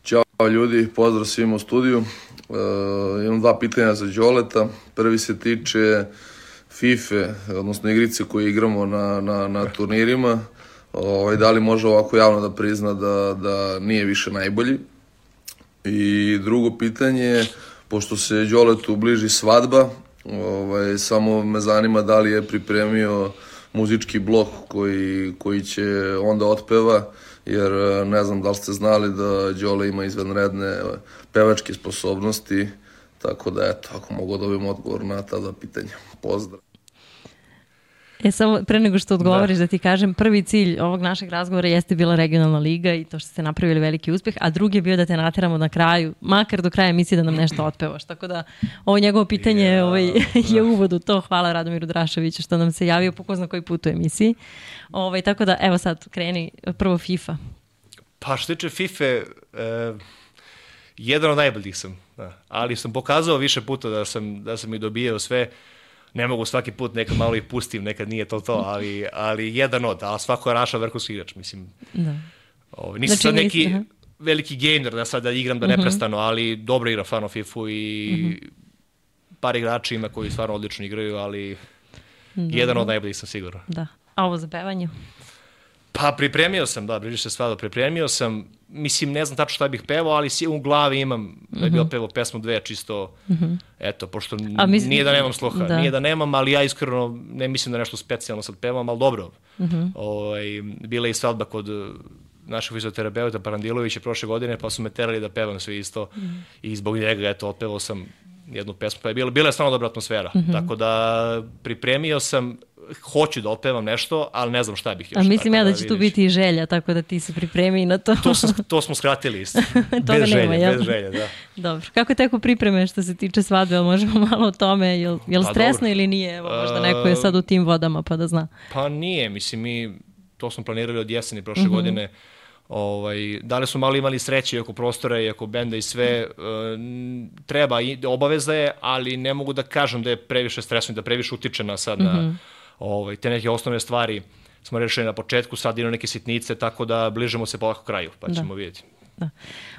Ćao ljudi, pozdrav svima u studiju. E, imam dva pitanja za Đoleta. Prvi se tiče FIFA, odnosno igrice koje igramo na, na, na turnirima. Ovaj, da li može ovako javno da prizna da, da nije više najbolji? I drugo pitanje, pošto se Đoletu bliži svadba, ovaj, samo me zanima da li je pripremio muzički blok koji, koji će onda otpeva, jer ne znam da li ste znali da Đole ima izvanredne pevačke sposobnosti, tako da eto, ako mogu dobijem odgovor na ta dva pitanja. Pozdrav! E, samo pre nego što odgovoriš da. da ti kažem, prvi cilj ovog našeg razgovora jeste bila regionalna liga i to što ste napravili veliki uspeh, a drugi je bio da te nateramo na kraju, makar do kraja emisije da nam nešto otpevaš. Tako da ovo njegovo pitanje yeah. ovaj, je uvod u to. Hvala Radomiru Drašoviću što nam se javio po ko zna koji put u emisiji. Ovaj, tako da, evo sad, kreni prvo FIFA. Pa što tiče FIFA, e, jedan od najboljih sam, da. Ali sam pokazao više puta da sam, da sam i dobijao sve. Ne mogu svaki put, nekad malo ih pustim, nekad nije to to, ali, ali jedan od, a svako je Raša vrhunski igrač, mislim. Da. Ovaj, nisam znači, sad neki nisi, veliki gamer da sad da igram da uh-huh. neprestano, ali dobro igram stvarno FIFA i uh-huh. par igrača ima koji stvarno odlično igraju, ali da. jedan od najboljih sam sigurno. Da. A ovo za pevanje? Pa pripremio sam, da, bliži se svado, pripremio sam, mislim, ne znam tačno šta bih pevao, ali u glavi imam da bih uh-huh. opevao pesmu dve, čisto, uh-huh. eto, pošto mislim, nije da nemam sluha, da. nije da nemam, ali ja iskreno ne mislim da nešto specijalno sad pevam, ali dobro. Uh-huh. Ovaj, bila je i svadba kod našeg fizioterapeuta Parandilovića prošle godine, pa su me terali da pevam sve isto uh-huh. i zbog njega, eto, otpevao sam jednu pesmu, pa je bila, bila je stvarno dobra atmosfera, uh-huh. tako da pripremio sam, hoću da otpevam nešto, ali ne znam šta bih još. A mislim ja da, da će tu biti i želja, tako da ti se pripremi na to. To, sam, to smo skratili isto. bez želje, nema, bez želje, da. Dobro. Kako teko pripreme što se tiče svadbe, ali možemo malo o tome, je li pa stresno dobro. Ili nije? Evo, možda neko je sad u tim vodama pa da zna. Pa nije, mislim mi, to smo planirali od jeseni prošle uh-huh. godine. Ovaj, da li smo malo imali sreće i oko prostora i oko benda i sve, uh, treba, i obaveza je, ali ne mogu da kažem da je previše stresno i da previše utiče na sad na uh-huh. Ovaj, te neke osnovne stvari smo rešili na početku, sad idu neke sitnice, tako da bližemo se polako kraju, pa ćemo da. vidjeti. Da.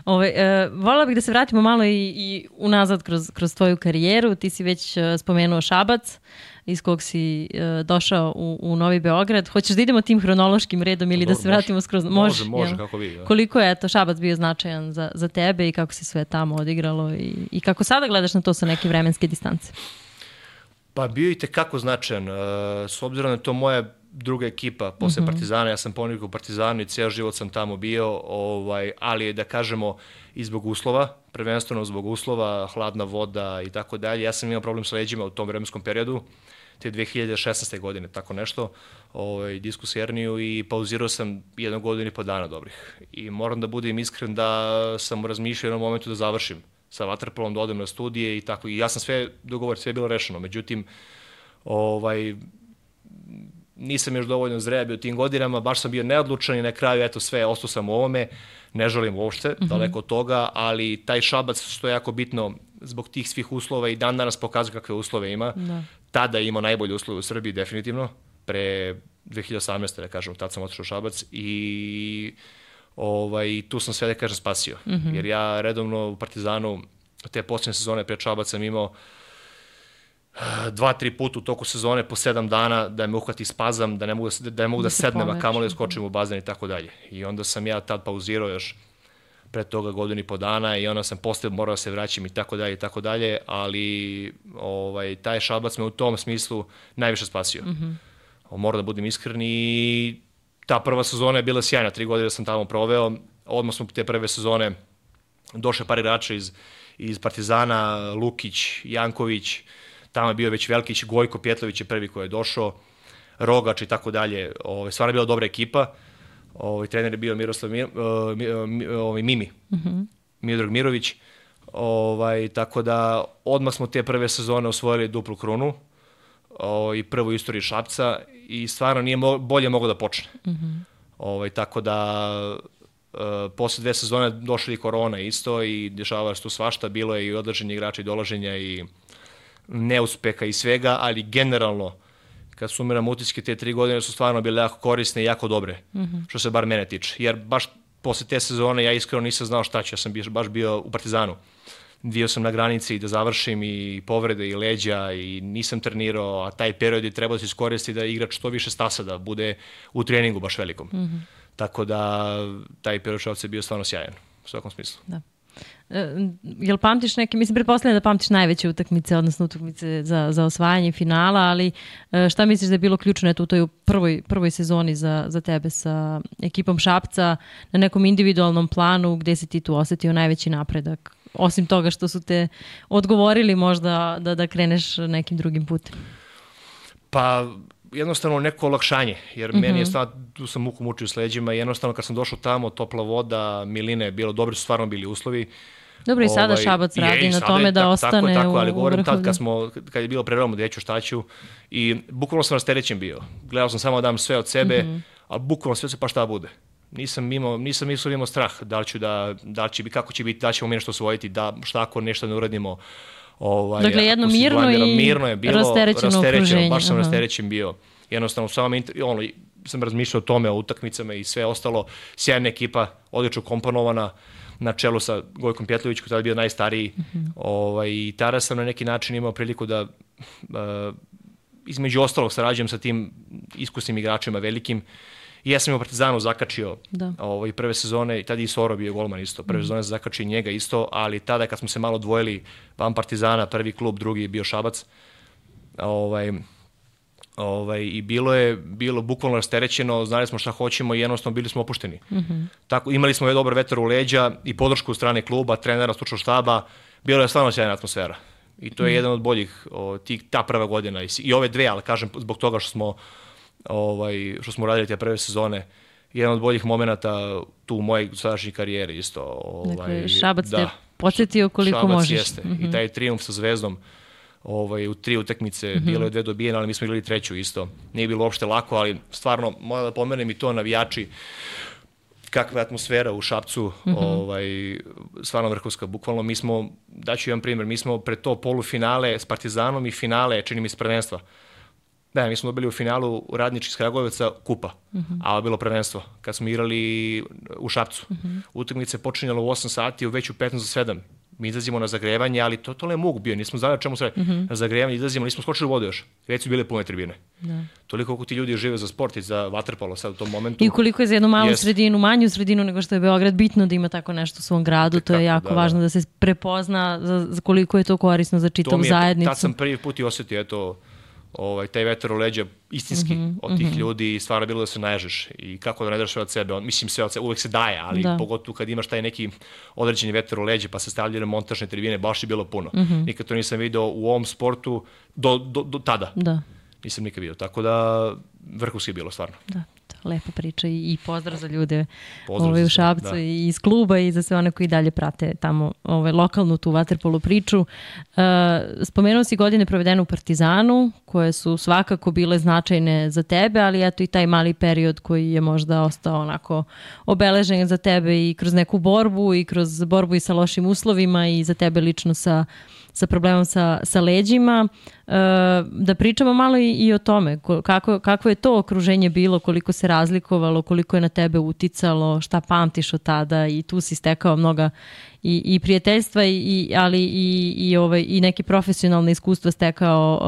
Ove, e, voljela bih da se vratimo malo i, i unazad kroz, kroz tvoju karijeru. Ti si već e, spomenuo Šabac, iz kog si e, došao u, u Novi Beograd. Hoćeš da idemo tim hronološkim redom ili Dobro, da se vratimo može, skroz? Može, može, kako vi. Da. Koliko je to Šabac bio značajan za, za tebe i kako se sve tamo odigralo i, i kako sada gledaš na to sa neke vremenske distance? Pa bio i tekako značajan. Uh, s obzirom da je to moja druga ekipa posle mm-hmm. Partizana, ja sam ponikao u Partizanu i ceo život sam tamo bio, ovaj, ali da kažemo i zbog uslova, prvenstveno zbog uslova, hladna voda i tako dalje. Ja sam imao problem sa leđima u tom vremenskom periodu, te dve hiljade šesnaeste. godine, tako nešto, ovaj, diskus herniju i pauzirao sam jednu godinu i po dana dobrih. I moram da budem iskren da sam razmišljao u jednom momentu da završim sa vaterpolom, da odem na studije i tako. I ja sam sve dogovorio, sve je bilo rešeno. Međutim, ovaj, nisam još dovoljno zreo bio u tim godinama, baš sam bio neodlučan i na kraju, eto sve, ostao sam u ovome, ne želim uopšte, mm-hmm. daleko od toga, ali taj Šabac, što je jako bitno, zbog tih svih uslova i dan danas pokazuje kakve uslove ima. Da. Tada je imao najbolje uslove u Srbiji, definitivno, pre dve hiljade osamnaeste. da kažem, tad sam otišao u Šabac i ovaj, tu sam sve, da kažem, spasio. Mm-hmm. Jer ja redovno u Partizanu, te posljednje sezone pred Šabac sam imao dva, tri puta u toku sezone po sedam dana da me uhvati spazam, da ne mogu da, da, ne mogu da, da sednem, a kamoli da skočim u bazen i tako dalje. I onda sam ja tad pauzirao još pre toga godinu i po dana i onda sam posle morao da se vraćam i tako dalje i tako dalje, ali ovaj, taj Šabac me u tom smislu najviše spasio. Mm-hmm. Moram da budem iskren i ta prva sezona je bila sjajna, tri godine sam tamo proveo, odmah smo te prve sezone došle par igrača iz, iz Partizana, Lukić, Janković, tamo je bio već Velkić, Gojko Pjetlović je prvi koji je došao, Rogač i tako dalje. Ovaj, stvarno je bila dobra ekipa. Ovaj, trener je bio Miroslav Mir, uh, ovaj, Mimi, mm-hmm. Miodrag Mirović. Ovaj, tako da odmah smo te prve sezone osvojili duplu krunu ovaj, i prvu istoriju Šapca i stvarno nije mo- bolje moglo da počne. Mm-hmm. Ovaj, tako da uh, posle dve sezone došli i korona isto i dešavalo se tu svašta. Bilo je i odlaženje igrača i dolaženja i neuspeha i svega, ali generalno, kad sumiram utiske, te tri godine su stvarno bile jako korisne i jako dobre, mm-hmm. što se bar mene tiče. Jer baš posle te sezone ja iskreno nisam znao šta ću, ja sam baš bio u Partizanu. Bio sam na granici da završim i povrede i leđa i nisam trenirao, a taj period je trebao da se iskoristi da igrač što više stasa, da bude u treningu baš velikom. Mm-hmm. Tako da taj period Šapca je bio stvarno sjajan, u svakom smislu. Da. Jel pamtiš neke, mislim, pretpostavljam da pamtiš najveće utakmice, odnosno utakmice za, za osvajanje finala, ali šta misliš da je bilo ključno eto, u toj prvoj, prvoj sezoni za, za tebe sa ekipom Šapca na nekom individualnom planu, gde si ti tu osetio najveći napredak? Osim toga što su te odgovorili možda da, da kreneš nekim drugim putem? Pa jednostavno neko olakšanje, jer mm-hmm. meni je stvarno, tu sam muku mučio s leđima i jednostavno kad sam došao tamo, topla voda, miline, bilo dobro, su stvarno bili uslovi. Dobro, i sada ovaj, Šabac radi je, na tome je, da tako, ostane tako, tako, ali u, govorim u tad kad, smo, kad je bilo prerano da ću šta ću i bukvalno sam rasterećen bio. Gledao sam samo da dam sve od sebe, mm-hmm. ali bukvalno sve se pa šta bude. Nisam imao, nisam imao, imao strah da li ću da, da li će biti, kako će biti, da ćemo mi nešto osvojiti, da šta ako nešto ne uradimo. Ovaj, dakle, jedno mirno i mirno je bilo, rasterećeno okruženje. Baš sam Aha. rasterećen bio. Jednostavno, samo ono, sam razmišljao o tome, o utakmicama i sve ostalo. Sjajna ekipa, odlično komponovana, na čelu sa Gojkom Pjetlović, koji je bio najstariji. Mm-hmm. Ovaj, i tada sam na neki način imao priliku da, uh, između ostalog, sarađujem sa tim iskusnim igračima velikim. I ja sam u Partizanu zakačio ovaj, prve sezone, i tada i Soro bio golman isto, prve mm. sezone sam zakačio njega isto, ali tada kad smo se malo dvojili, van Partizana, prvi klub, drugi je bio Šabac, ovaj, ovaj, i bilo je bilo bukvalno rasterećeno, znali smo šta hoćemo i jednostavno bili smo opušteni. Mm-hmm. Tako, imali smo je dobar vetar u leđa i podršku u strane kluba, trenera, stručnog štaba, bilo je stvarno sjajna atmosfera. I to je mm. jedan od boljih, o, tih, ta prva godina i, i ove dve, ali kažem zbog toga što smo Ovaj, što smo radili te prve sezone, jedan od boljih momenata tu u mojej sadašnjoj karijeri isto. Ovaj, dakle, Šabac da, te podsjetio koliko Šabac možeš. Jeste. Mm-hmm. I taj trijumf sa Zvezdom ovaj, u tri utakmice, mm-hmm. bilo je dve dobijene, ali mi smo igrali treću isto. Nije bilo uopšte lako, ali stvarno, moram da pomenem i to, navijači, kakva je atmosfera u Šapcu, mm-hmm. ovaj, stvarno vrhunska. Bukvalno mi smo, daću jedan primjer, mi smo pred to polufinale s Partizanom i finale, čini mi se prvenstva, Da, mi smo dobili u finalu Radnički iz Kragujevca kupa, uh-huh. a ovo je bilo prvenstvo. Kad smo igrali u Šapcu. Uh-huh. Utakmica je počinjala u osam sati, u već u petnaest za sedam. Mi izlazimo na zagrevanje, ali to, to je mug bio, nismo znali o čemu se radi. Uh-huh. Na zagrevanje izlazimo, nismo skočili u vodu još. Već su bile pune tribine. Da. Toliko koliko ti ljudi žive za sport i za vaterpolo sad u tom momentu. I koliko je za jednu malu jest. sredinu, manju sredinu nego što je Beograd, bitno da ima tako nešto u svom gradu, to je jako da, važno da. da se prepozna za, za koliko je to korisno za čitavu zajednicu. Tad sam prvi put i osjetio, eto, ovaj, taj vetar u leđa istinski mm-hmm, od tih mm-hmm. ljudi, stvarno bilo da se naježeš i kako da ne daš sve od sebe, on, mislim sve od sebe, uvek se daje, ali da. pogotovo kad imaš taj neki određeni vetar u leđa pa se stavljaju montažne tribine, baš je bilo puno. Mm-hmm. Nikad to nisam video u ovom sportu do, do, do tada. Da. Nisam nikad video, tako da vrhunski je bilo stvarno. Da. Lepa priča i pozdrav za ljude ovaj, u Šapcu da. i iz kluba i za sve one koji dalje prate tamo ovaj, lokalnu tu vaterpolo priču. Uh, spomenuo si godine provedene u Partizanu, koje su svakako bile značajne za tebe, ali eto i taj mali period koji je možda ostao onako obeležen za tebe i kroz neku borbu i kroz borbu i sa lošim uslovima i za tebe lično sa sa problemom sa, sa leđima. E, da pričamo malo i, i o tome. Kako, kako je to okruženje bilo, koliko se razlikovalo, koliko je na tebe uticalo, šta pamtiš od tada i tu si stekao mnoga i, i prijateljstva, i, ali i, i, ovaj, i neke profesionalne iskustva stekao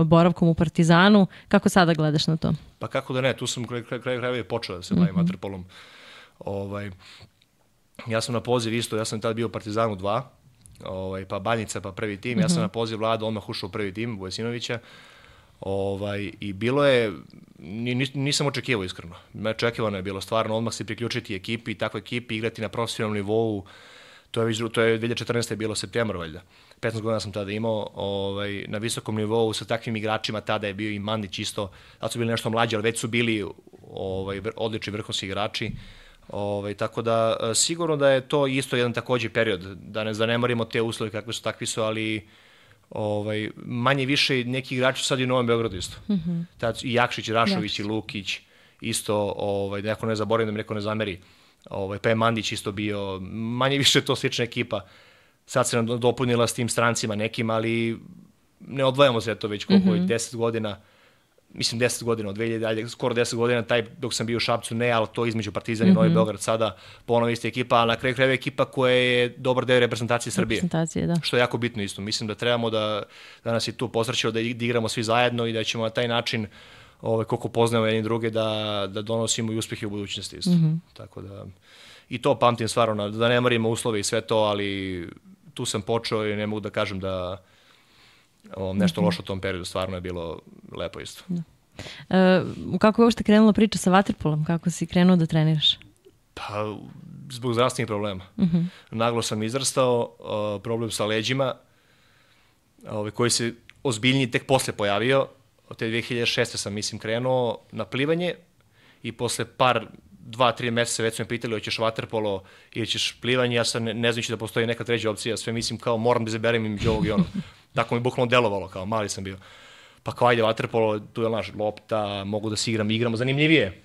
uh, boravkom u Partizanu. Kako sada gledaš na to? Pa kako da ne, tu sam kraj kraj krajeva je počeo da se bavim mm-hmm. vaterpolom. Ovaj, ja sam na poziv isto, ja sam tada bio u Partizanu dva, Ovaj, pa Banjica, pa prvi tim. Mm-hmm. Ja sam na poziv Vlada odmah ušao u prvi tim Vujasinovića. Ovaj, I bilo je, nisam očekivao iskreno. Očekivano je bilo stvarno odmah se priključiti ekipi, takvoj ekipi, igrati na profesionalnom nivou. To je, to je dve hiljade četrnaeste bilo septembar, valjda. petnaest godina sam tada imao ovaj, na visokom nivou sa takvim igračima. Tada je bio i Mandić isto. Tada su bili nešto mlađi, ali već su bili ovaj, odlični vrhunski igrači. Ovaj, tako da sigurno da je to isto jedan takođe period, da ne zanemarimo te uslove kakve su, takvi su, ali ovaj, manje više neki igrači sad i u Novom Beogradu isto. Mm-hmm. Tad, i Jakšić, Rašović, i Lukić isto, ovaj, da neko ne zaboravim, da mi neko ne zameri. Ovaj, pa je Mandić isto bio, manje više to slična ekipa. Sad se nam dopunila s tim strancima nekim, ali ne odvajamo se to već koliko je, mm-hmm. deset godina. Mislim deset godina, od dve hiljade, skoro deset godina, taj dok sam bio u Šapcu, ne, ali to između Partizan i mm-hmm. Novi Beograd sada ponovo ista ekipa, ali na kraju krajeva ekipa koja je dobar deo reprezentacije Srbije. Reprezentacije, da. Što je jako bitno isto. Mislim da trebamo da, da nas je tu posrećilo, da igramo svi zajedno i da ćemo na taj način, ovaj, koliko poznajemo jedni druge, da, da donosimo i uspjehe u budućnosti isto. Mm-hmm. Tako da, i to pamtim stvarno, da ne marimo uslove i sve to, ali tu sam počeo i ne mogu da kažem da O, nešto mm-hmm. loše u tom periodu, stvarno je bilo lepo isto. Da. E, kako je uopšte krenula priča sa vaterpolom? Kako si krenuo da treniraš? Pa, zbog zdravstvenih problema. Mm-hmm. Naglo sam izrastao, uh, problem sa leđima, uh, koji se ozbiljniji tek posle pojavio. Od te dve hiljade šeste sam, mislim, krenuo na plivanje i posle par, dva, tri meseca već su me pitali hoćeš vaterpolo ili ćeš plivanje. Ja sam ne, ne znajući da postoji neka treća opcija, sve mislim kao moram da izaberem između ovog i onog. Tako mi bukvalno delovalo, kao mali sam bio. Pa kao ajde vaterpolo, tu je naš lopta, mogu da se igram, igramo zanimljivije.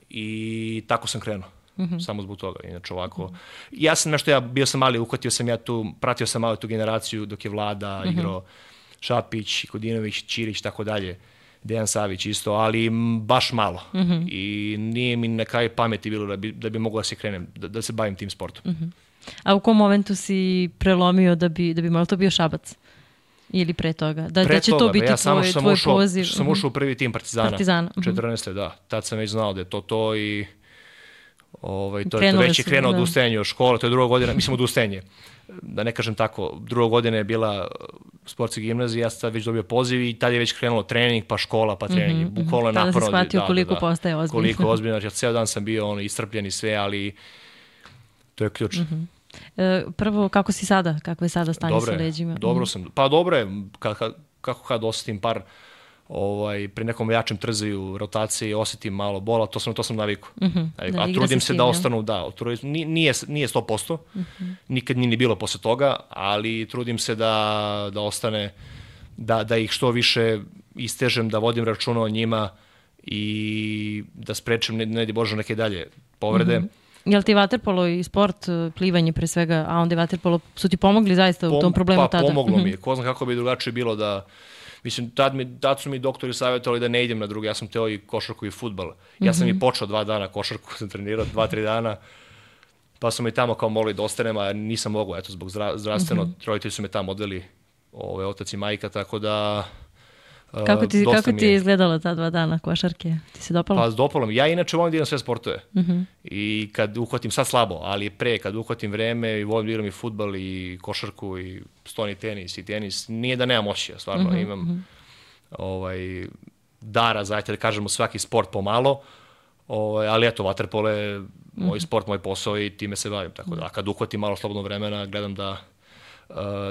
I tako sam krenuo, mm-hmm. samo zbog toga. Inače ovako, mm-hmm. ja sam nešto, ja bio sam mali, uhvatio sam ja tu, pratio sam malo tu generaciju dok je Vlada, mm-hmm. igrao Šapić, Kodinović, Ćirić, tako dalje. Dejan Savić isto, ali baš malo. Mm-hmm. I nije mi na kraju pameti bilo da bi, da bi mogao da se krenem, da, da se bavim tim sportom. Mm-hmm. A u kom momentu si prelomio da bi, da bi malo to bio Šabac? Ili pre toga? Da, pre da će toga, to biti ja tvoj, sam tvoj ušao, poziv? Sam ušao u prvi tim Partizana. Partizana. četrnaeste da. Tad sam već znao da je to to i ovaj, to, to već je krenuo od ustajanja od škole, to je druga godina, mislim od ustajanje. Da ne kažem tako, druga godina je bila sportska gimnazija, ja sam tad već dobio poziv i tad je već krenulo trening, pa škola, pa trening. Mm-hmm. Bukvalno je naporno. Tada si shvatio da, koliko da, postaje ozbiljno. Koliko ozbiljno, jer ceo dan sam bio ono, iscrpljen i sve, ali to je ključ. Mm-hmm. E, prvo, kako si sada? Kako je sada stanje dobre, sa leđima? Dobro sam. Pa dobro je, kako, kako kad osetim par ovaj, pri nekom jačem trzaju, rotaciji, osetim malo bola, to sam, to sam naviku. Mm-hmm. Da, a trudim se, se da ostanu, da, nije, nije sto posto, mm-hmm. nikad nije ni bilo posle toga, ali trudim se da, da ostane, da, da ih što više istežem, da vodim računa o njima i da sprečem, ne, ne di Bože, neke dalje povrede. Mm-hmm. Jel ti vaterpolo i sport, plivanje pre svega, a onda je vaterpolo, su ti pomogli zaista u Pom, tom problemu pa, tada? Pa pomoglo mi je. Ko zna kako bi drugačije bilo da, Mislim, tad, mi, tad su mi doktori savjetovali da ne idem na drugi, ja sam teo i košarku i fudbal. Ja sam mm-hmm. i počeo dva dana košarku, sam trenirao dva, tri dana, pa su me tamo kao molili da ostanem, a nisam mogao, eto, zbog zdra, zdravstveno, mm-hmm. roditelji su me tamo odveli, ove, otac i majka, tako da... Kako ti, kako ti je izgledalo ta dva dana košarke? Ti se dopalo? Pa dopalo mi. Ja inače volim da idem sve sportove. Uh-huh. I kad uhvatim, sad slabo, ali pre, kad uhvatim vreme i volim da igram i fudbal i košarku i stoni tenis i tenis, nije da nemam osjeća, stvarno. Uh-huh. Imam uh-huh. ovaj, dara, zajedno da kažemo svaki sport pomalo, ovaj, ali eto, vaterpolo je uh-huh. moj sport, moj posao i time se bavim. Tako da, kad uhvatim malo slobodno vremena, gledam da,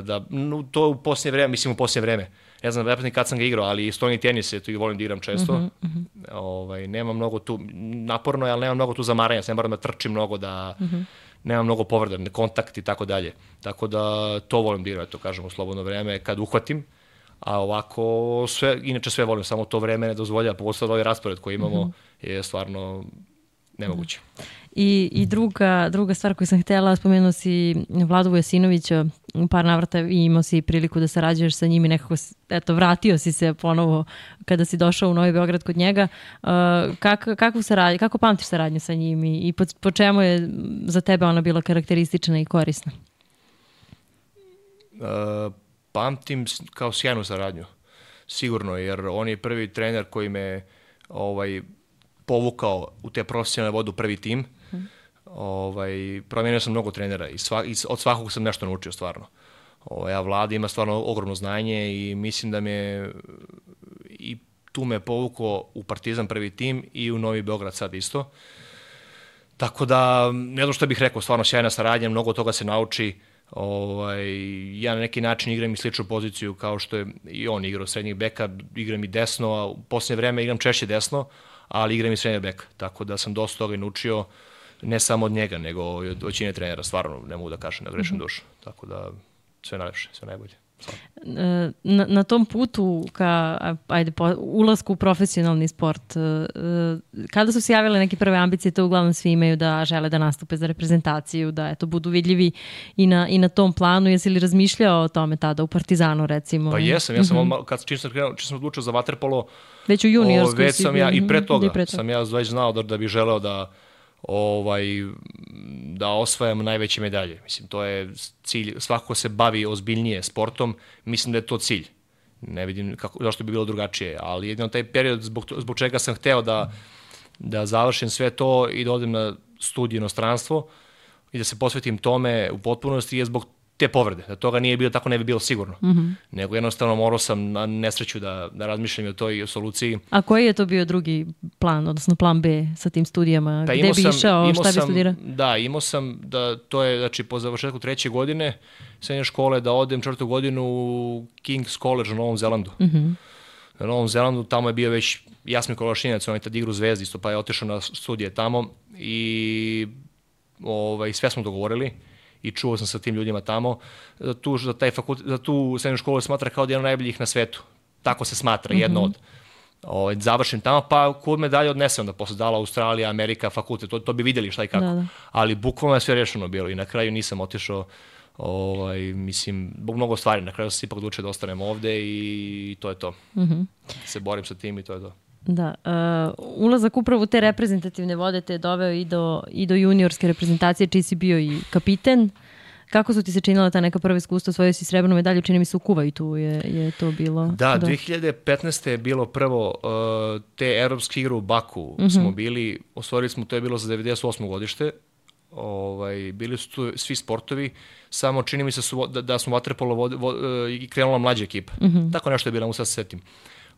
da no, to u posljednje vreme, mislim u posljednje vreme, ne znam da kad sam ga igrao, ali stoni tenis je tu i volim da igram često. Uh-huh, uh-huh. Ovaj, nema mnogo tu, naporno je, ali nema mnogo tu zamaranja, ne moram da trčim mnogo, da uh-huh. nema mnogo povreda, kontakt i tako dalje. Tako da to volim da igram, to kažem u slobodno vreme, kad uhvatim. A ovako, sve, inače sve volim, samo to vreme ne dozvolja, pogotovo ovaj raspored koji imamo uh-huh. je stvarno nemoguće. I, i druga, druga stvar koju sam htjela, spomenuo si Vladu Vujasinovića, u par navrata i imao si priliku da sarađuješ sa njim i nekako, eto, vratio si se ponovo kada si došao u Novi Beograd kod njega. Uh, kak, kakvu saradnju, kako pamtiš saradnju sa njim i, i po, po čemu je za tebe ona bila karakteristična i korisna? Uh, pamtim kao sjajnu saradnju, sigurno, jer on je prvi trener koji me ovaj, povukao u te profesionalne vode u prvi tim. Hmm. Ovaj, promijenio sam mnogo trenera i, sva, i od svakog sam nešto naučio stvarno. Ovaj, a Vlada ima stvarno ogromno znanje i mislim da me i tu me povukao u Partizan prvi tim i u Novi Beograd sad isto. Tako da, ne znam što bih rekao, stvarno sjajna saradnja, mnogo toga se nauči. Ovaj, ja na neki način igram i sličnu poziciju kao što je i on igrao srednjih beka, igram i desno, a u posljednje vreme igram češće desno, ali igram i srednjeg beka. Tako da sam dosta toga i naučio, ne samo od njega, nego od većine trenera, stvarno ne mogu da kažem, da grešim mm-hmm. dušu. Tako da sve najlepše, sve najbolje. Na, na tom putu ka ajde, po, ulasku u profesionalni sport, kada su se javile neke prve ambicije, to uglavnom svi imaju da žele da nastupe za reprezentaciju, da eto, budu vidljivi i na, i na tom planu. Jesi li razmišljao o tome tada u Partizanu, recimo? Pa jesam, ja sam mm-hmm. odmah, kad čim sam, čim sam odlučio za vaterpolo, već u juniorskoj već sam ja, i pre toga, i pre toga sam ja već znao da, da bih želeo da ovaj, da osvajam najveće medalje. Mislim, to je cilj, svako se bavi ozbiljnije sportom, mislim da je to cilj. Ne vidim kako, zašto bi bilo drugačije, ali jedino taj period zbog, zbog čega sam hteo da, da završim sve to i da odem na studiju inostranstvo i da se posvetim tome u potpunosti je zbog te povrede. Da toga nije bilo, tako ne bi bilo sigurno. Mm-hmm. Nego jednostavno morao sam na nesreću da, da razmišljam o toj soluciji. A koji je to bio drugi plan, odnosno plan B sa tim studijama? Da, gde bi sam, išao, šta bi studirao? Da, imao sam da to je, znači, po završetku treće godine srednje škole da odem četvrtu godinu u King's College u Novom Zelandu. Mm-hmm. Na Novom Zelandu, tamo je bio već Jasmin Kolašinac, on je tad igrao u Zvezdi, isto, pa je otišao na studije tamo i ovaj, sve smo dogovorili. I čuo sam sa tim ljudima tamo, da tu, da taj fakultet, da tu srednju školu smatra kao da je jedno najboljih na svetu. Tako se smatra, jedno mm-hmm. od. O, završim tamo, pa kud me dalje odnesem, da posle dala Australija, Amerika, fakultet, to, to bi vidjeli šta i kako. Da, da. Ali bukvalno je sve rešeno bilo i na kraju nisam otišao, ovaj, mislim, zbog mnogo stvari, na kraju sam se ipak odlučio da ostanem ovde i to je to. Mm-hmm. Se borim sa tim i to je to. Da, uh, ulazak upravo u te reprezentativne vode te je doveo i do, i do juniorske reprezentacije, čiji si bio i kapiten. Kako su ti se činila ta neka prva iskustva, osvojio si srebrnu medalju, čini mi se u Kuvajtu je, je to bilo. Da, do... dve hiljade petnaeste je bilo prvo uh, te evropske igre u Baku, mm-hmm. smo bili, osvojili smo, to je bilo za devedeset osmo godište, ovaj, bili su tu svi sportovi, samo čini mi se su, da, da smo vaterpolo vod, vod, uh, krenula mlađa ekipa. Mm-hmm. Tako nešto je bilo, mu sad se setim.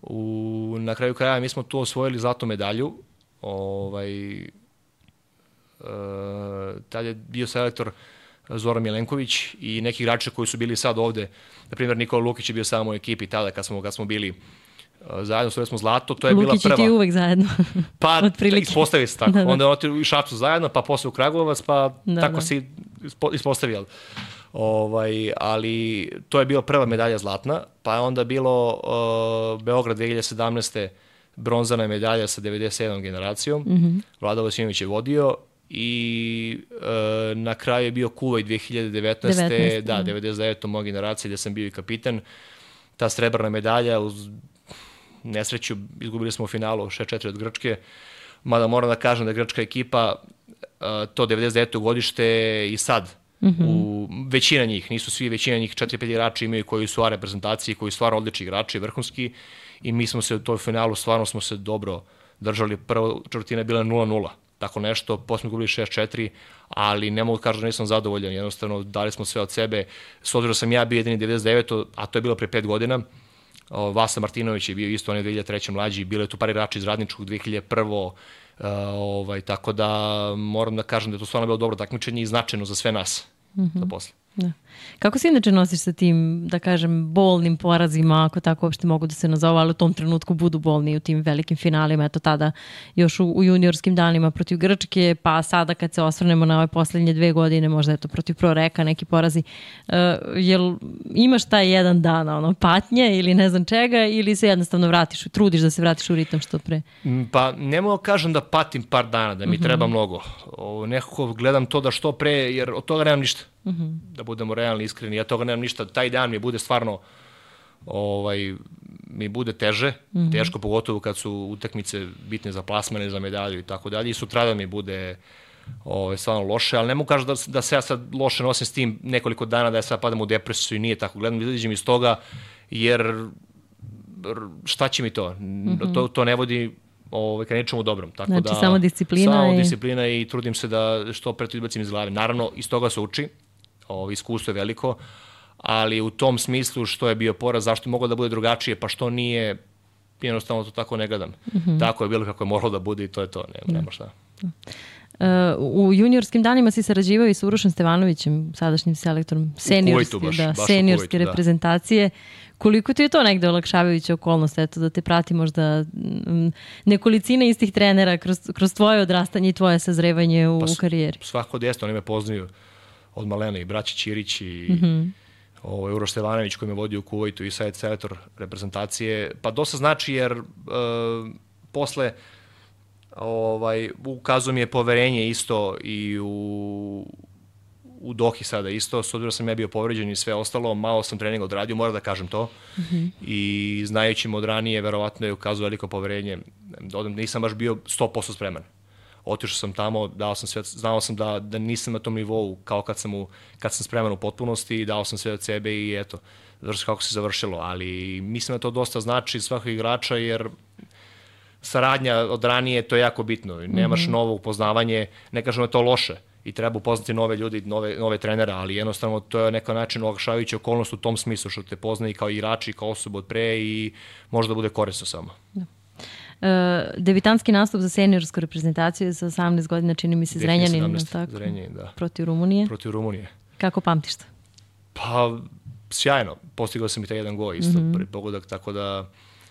U, na kraju kraja mi smo tu osvojili zlatnu medalju. Ovaj, e, tad je bio selektor Zoran Milenković i neki igrači koji su bili sad ovde. Na primjer, Nikola Lukić je bio samo u ekipi tada kad smo, kad smo bili uh, zajedno, osvojili smo zlato. To je Lukić bila prva. Lukić i ti uvek zajedno. Pa ispostavi se tako. Da, da. Onda je otišao u Šapcu zajedno, pa posle u Kragujevac, pa da, tako da. Si ispostavio. Ovaj, ali to je bila prva medalja zlatna, pa je onda bilo uh, Beograd dve hiljade sedamnaeste bronzana medalja sa devedeset sedmom generacijom, mm-hmm. Vlada Vujasinović je vodio i uh, na kraju je bio Kuvajt dve hiljade devetnaeste. devetnaeste Da, devedeset devetom moja generacija gdje sam bio i kapitan. ta srebrna medalja, uz nesreću izgubili smo u finalu šest četiri od Grčke, mada moram da kažem da je grčka ekipa to devedeset deveto godište i sad, mm-hmm. u većina njih, nisu svi, većina njih, četiri pet igrači imaju koji su u reprezentaciji, koji su stvarno odlični igrači, vrhunski, i mi smo se u toj finalu, stvarno smo se dobro držali, prva četvrtina je bila nula nula, tako nešto, posle smo gubili šest četiri, ali ne mogu kažem da nisam zadovoljan, jednostavno dali smo sve od sebe, s obzirom da sam ja bio jedini devedeset deveto, a to je bilo pre pet godina, Vasa Martinović je bio isto, on je dve hiljade treće mlađi, bilo je tu par igrača iz Radničkog dve hiljade prve. Uh, ovaj, tako da moram da kažem da je to stvarno bilo dobro takmičenje i značajno za sve nas, mm-hmm. za posle. Da. Kako se inače nosiš sa tim, da kažem, bolnim porazima, ako tako uopšte mogu da se nazove, ali u tom trenutku budu bolni u tim velikim finalima, eto tada još u, u juniorskim danima protiv Grčke, pa sada kad se osvrnemo na ove poslednje dve godine, možda eto protiv Proreka neki porazi, uh, jel imaš taj jedan dan ono, patnje ili ne znam čega, ili se jednostavno vratiš, trudiš da se vratiš u ritam što pre? Pa ne mogu kažem da patim par dana, da mi mm-hmm. treba mnogo. O, nekako gledam to da što pre, jer od toga nemam ništa. Mm-hmm. Da budemo realni, iskreni, ja toga nemam ništa, taj dan mi bude stvarno ovaj, mi bude teže, mm-hmm. teško, pogotovo kad su utakmice bitne za plasmane, za medalju i tako dalje, i sutradan mi bude ovaj, stvarno loše, ali ne mogu kažem da, da se ja sad loše nosim s tim nekoliko dana, da ja sad padam u depresiju i nije tako, gledam da izađem iz toga, jer šta će mi to? Mm-hmm. to, to ne vodi ovaj, ka nečemu dobrom. Tako znači da, samo disciplina. Samo i... disciplina i trudim se da što pre to izbacim iz glave. Naravno, iz toga se uči, ovo, iskustvo je veliko, ali u tom smislu što je bio poraz, zašto je moglo da bude drugačije, pa što nije, jednostavno to tako ne gledam. Mm-hmm. Tako je bilo kako je moralo da bude i to je to, nema, nema šta. Uh, u juniorskim danima si sarađivao i sa Urošem Stevanovićem, sadašnjim selektorom seniorske, baš, da, baš seniorske Kuvajtu, reprezentacije. Da. Koliko ti je to negde olakšavajuća okolnost, eto, da te prati možda m, nekolicina istih trenera kroz, kroz tvoje odrastanje i tvoje sazrevanje u, pa, u karijeri? Svako djesto, oni me poznaju od malena, i braći Ćirić i mm-hmm. ovo, Uroš Stevanović koji me vodio u Kuvajtu i sad je selektor reprezentacije. Pa dosta znači jer uh, posle ovaj, ukazuje mi je poverenje isto i u, u Dohi sada isto, s obzirom sam ja bio povređen i sve ostalo, malo sam treninga odradio, moram da kažem to. Mm-hmm. I znajući me od ranije, verovatno je ukazuje veliko poverenje. Nisam baš bio sto posto spreman. Otišao sam tamo, dao sam sve, znao sam da, da nisam na tom nivou kao kad sam, u, kad sam spreman u potpunosti i dao sam sve od sebe i eto, završi kako se završilo. Ali mislim da to dosta znači svakog igrača jer saradnja od ranije, to je jako bitno. Nemaš mm-hmm. novo upoznavanje, ne kažem da je to loše i treba upoznati nove ljudi, nove, nove trenere, ali jednostavno to je neko način olakšavajuća okolnost u tom smislu što te pozna i kao igrači, kao osobu od pre i može da bude korisno samo. Da. Uh, debitanski nastup za seniorsku reprezentaciju sa osamnaest godina, čini mi se Zrenjanin, tako? Zrenjanin, da. Protiv Rumunije. Protiv Rumunije. Kako pamtiš to? Pa, sjajno. Postigao sam i taj jedan gol isto, mm-hmm. prvi pogodak, tako da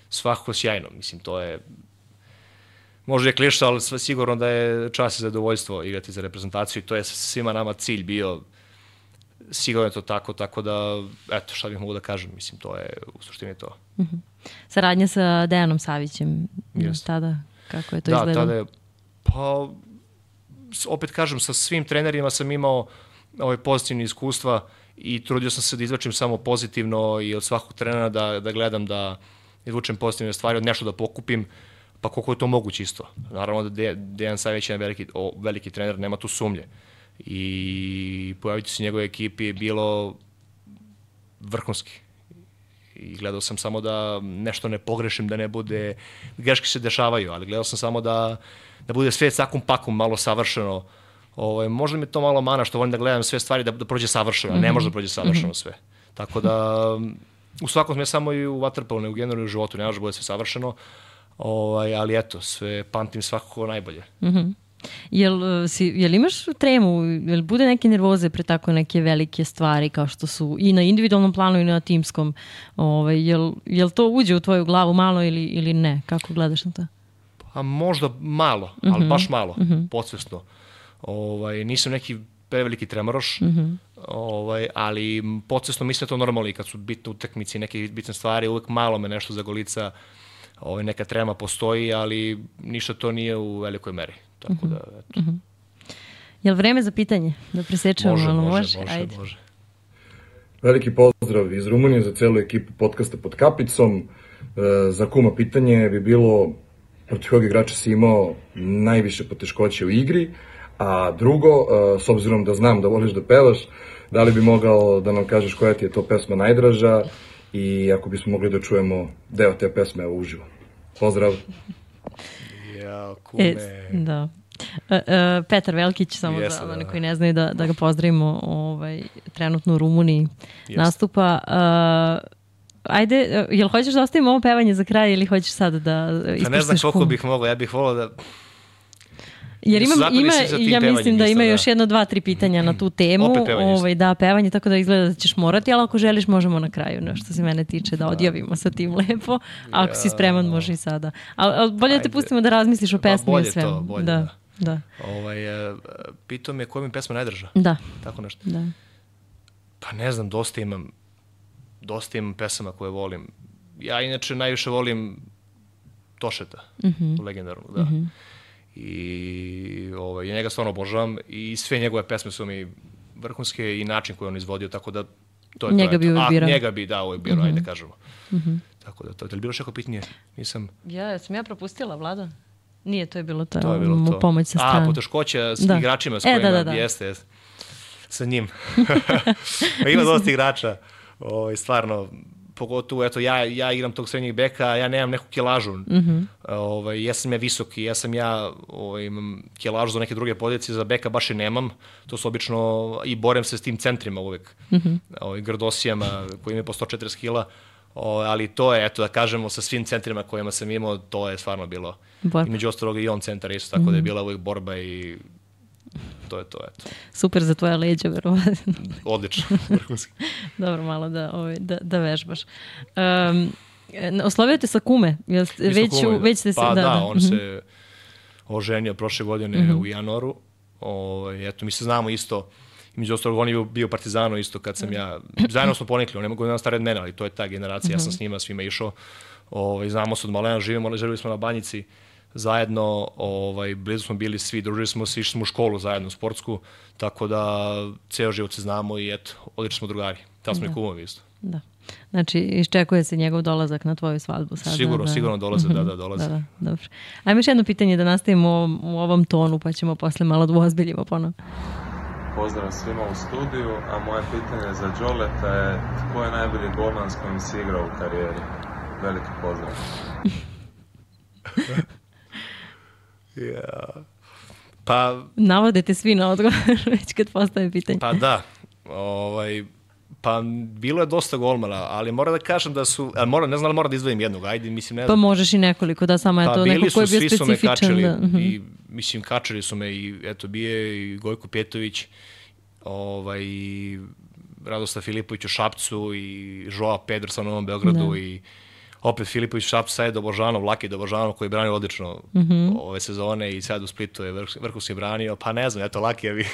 svakako sjajno. Mislim, to je možda je klišta, ali sve sigurno da je čast i zadovoljstvo igrati za reprezentaciju i to je svima nama cilj bio. Sigurno je to tako, tako da, eto, šta bih mogu da kažem, mislim, to je, u suštini to. Mm-hmm. Saradnja sa Dejanom Savićem, yes. tada, kako je to da, izgledalo? Da, tada je, pa, opet kažem, sa svim trenerima sam imao ove pozitivne iskustva i trudio sam se da izvačim samo pozitivno i od svakog trenera da, da gledam da izvučem pozitivne stvari, od nešto da pokupim, pa koliko je to moguće isto. Naravno da De, Dejan Savić je veliki, o, veliki trener, nema tu sumnje. I pojaviti se u njegove ekipi je bilo vrhunski. I gledao sam samo da nešto ne pogrešim, da ne bude, greške se dešavaju, ali gledao sam samo da, da bude sve sakum pakum malo savršeno. Ovo, možda mi je to malo mana što volim da gledam sve stvari da, da prođe savršeno, mm-hmm. ne može da prođe savršeno mm-hmm. sve. Tako da u svakom ne samo i u vaterpolu, ne u generalnom životu, ne može da bude sve savršeno, ovaj, ali eto, sve pamtim svakako najbolje. Mm-hmm. Jel, si, jel imaš tremu, jel bude neke nervoze pre tako neke velike stvari kao što su i na individualnom planu i na timskom? Ovaj, jel, jel to uđe u tvoju glavu malo ili, ili ne? Kako gledaš na to? Pa možda malo, ali mm-hmm. baš malo, mm-hmm. podsvesno. Ovaj, nisam neki preveliki tremoroš, mm-hmm. ovaj, ali podsvesno mislim da to normalno i kad su bitne utakmice i neke bitne stvari, uvek malo me nešto zagolica, ovaj, neka trema postoji, ali ništa to nije u velikoj meri. Tako da, eto. Mm-hmm. Jel vreme za pitanje? Da presečemo može, malo? Može, može, može. Ajde. može. Veliki pozdrav iz Rumunije za celu ekipu podcasta Pod kapicom. Za kuma pitanje bi bilo protiv kojeg igrača si imao najviše poteškoće u igri, a drugo, s obzirom da znam da voliš da pevaš, da li bi mogao da nam kažeš koja ti je to pesma najdraža i ako bismo mogli da čujemo deo te pesme uživo. Pozdrav! Ja, kume... E, da. Uh, uh, Petar Velkić, samo Jeste, za one koji ne znaju da, da ga pozdravimo, ovaj, trenutno u Rumuniji Jeste. nastupa. Uh, ajde, uh, jel hoćeš da ostavimo ovo pevanje za kraj ili hoćeš sad da ispustiš? Pa ne znam koliko bih mogla, ja bih volao da... Jer imam, ima, ja mislim da ima još jedno, dva, tri pitanja na tu temu. Ovaj, da, pevanje, tako da izgleda da ćeš morati, ali ako želiš možemo na kraju, no, što se mene tiče, da odjavimo sa tim lepo. A ako si spreman, može i sada. Ali al bolje da te pustimo da razmisliš o pesmi i svemu. Bolje to, bolje, da. da. Da. Ovaj, pitao me koja mi pesma najdrža. Da. Tako nešto. Da. Pa ne znam, dosta imam, dosta imam pesama koje volim. Ja inače najviše volim Tošeta, mm-hmm. legendarnog, da. Mm-hmm. I ovaj, ja njega stvarno obožavam i sve njegove pesme su mi vrhunske i način koji on izvodio, tako da to je njega to. Bi uvijek birao. A, njega bi dao uvijek birao, mm-hmm. ajde kažemo. Mm-hmm. Tako da to. Da li bilo što pitanje? Nisam... Ja, sam ja propustila, Vlada? Nije, to je bilo to. To je bilo to. Pomoć sa strane. A, poteškoća s da. igračima s kojima, e, da, da, da. jeste, jeste. Sa njim. Ima dosta igrača, o, stvarno, pogotovo, eto, ja, ja igram tog srednjeg beka, ja nemam neku kilažu. Mm-hmm. Ovaj, ja sam ja visoki, ja sam ja, ovaj, imam kilažu za neke druge pozicije, za beka baš i nemam. To su obično, i borem se s tim centrima uvek. Mm-hmm. Ovaj, grdosijama koji imaju po sto četrdeset kila. O, ali to je, eto, da kažemo, sa svim centrima kojima sam imao, to je stvarno bilo. Borba. I među ostalog i on centar isto, tako mm-hmm. da je bila uvijek borba i to je to, eto. Super za tvoja leđa, verovatno. Odlično, vrhunski. Dobro, malo da, ovaj, da, da vežbaš. Um, oslovio te sa kume? Jel, već, kume. već ste se... Pa da, da, da da. on mm-hmm. se oženio prošle godine mm-hmm. u januaru. O, eto, mi se znamo isto. I među ostalog, on je bio Partizano isto kad sam ja, zajedno smo ponikli, on je godina stariji od mene, ali to je ta generacija, mm-hmm. ja sam s njima svima išao, ovaj, znamo se od malena, živimo, živili smo na Banjici zajedno, ovaj, blizu smo bili svi, družili smo se, išli smo u školu zajedno, sportsku, tako da ceo život se znamo i eto, odlični smo drugari, tamo smo da. i kumovi isto. Da. Znači, iščekuje se njegov dolazak na tvoju svadbu sada. Sigurno, da. sigurno dolaze, mm-hmm. da, da, dolaze. Da, da, dobro. Ajmo još jedno pitanje da nastavimo u ovom, u ovom tonu, pa ćemo posle malo da uozbiljimo ponovno. Pozdrav svima u studiju, a moje pitanje za Đoleta je ko je najbolji golman s kojim si igrao u karijeri? Veliki pozdrav. ja. Pa... Navodite svi na odgovor već kad postavim pitanje. Pa da, ovaj... Pa bilo je dosta golmana, ali moram da kažem da su, moram, ne znam da moram da izdvojim jednog, ajde, mislim, ne znam. Pa možeš i nekoliko, da, samo je pa to neko ko je bio specifičan. Pa bili su, svi su me kačili, da. i, mislim, kačili su me i, eto, bije i Gojko Pjetović, ovaj, i Radoslav Filipović u Šapcu i Joao Pedrosa u Novom Beogradu da. I opet Filipović u Šapcu, sad je Dobožanov, Laki Dobožanov koji je branio odlično mm-hmm. ove sezone i sad u Splitu je vrhunski branio, pa ne znam, eto, Laki je vi...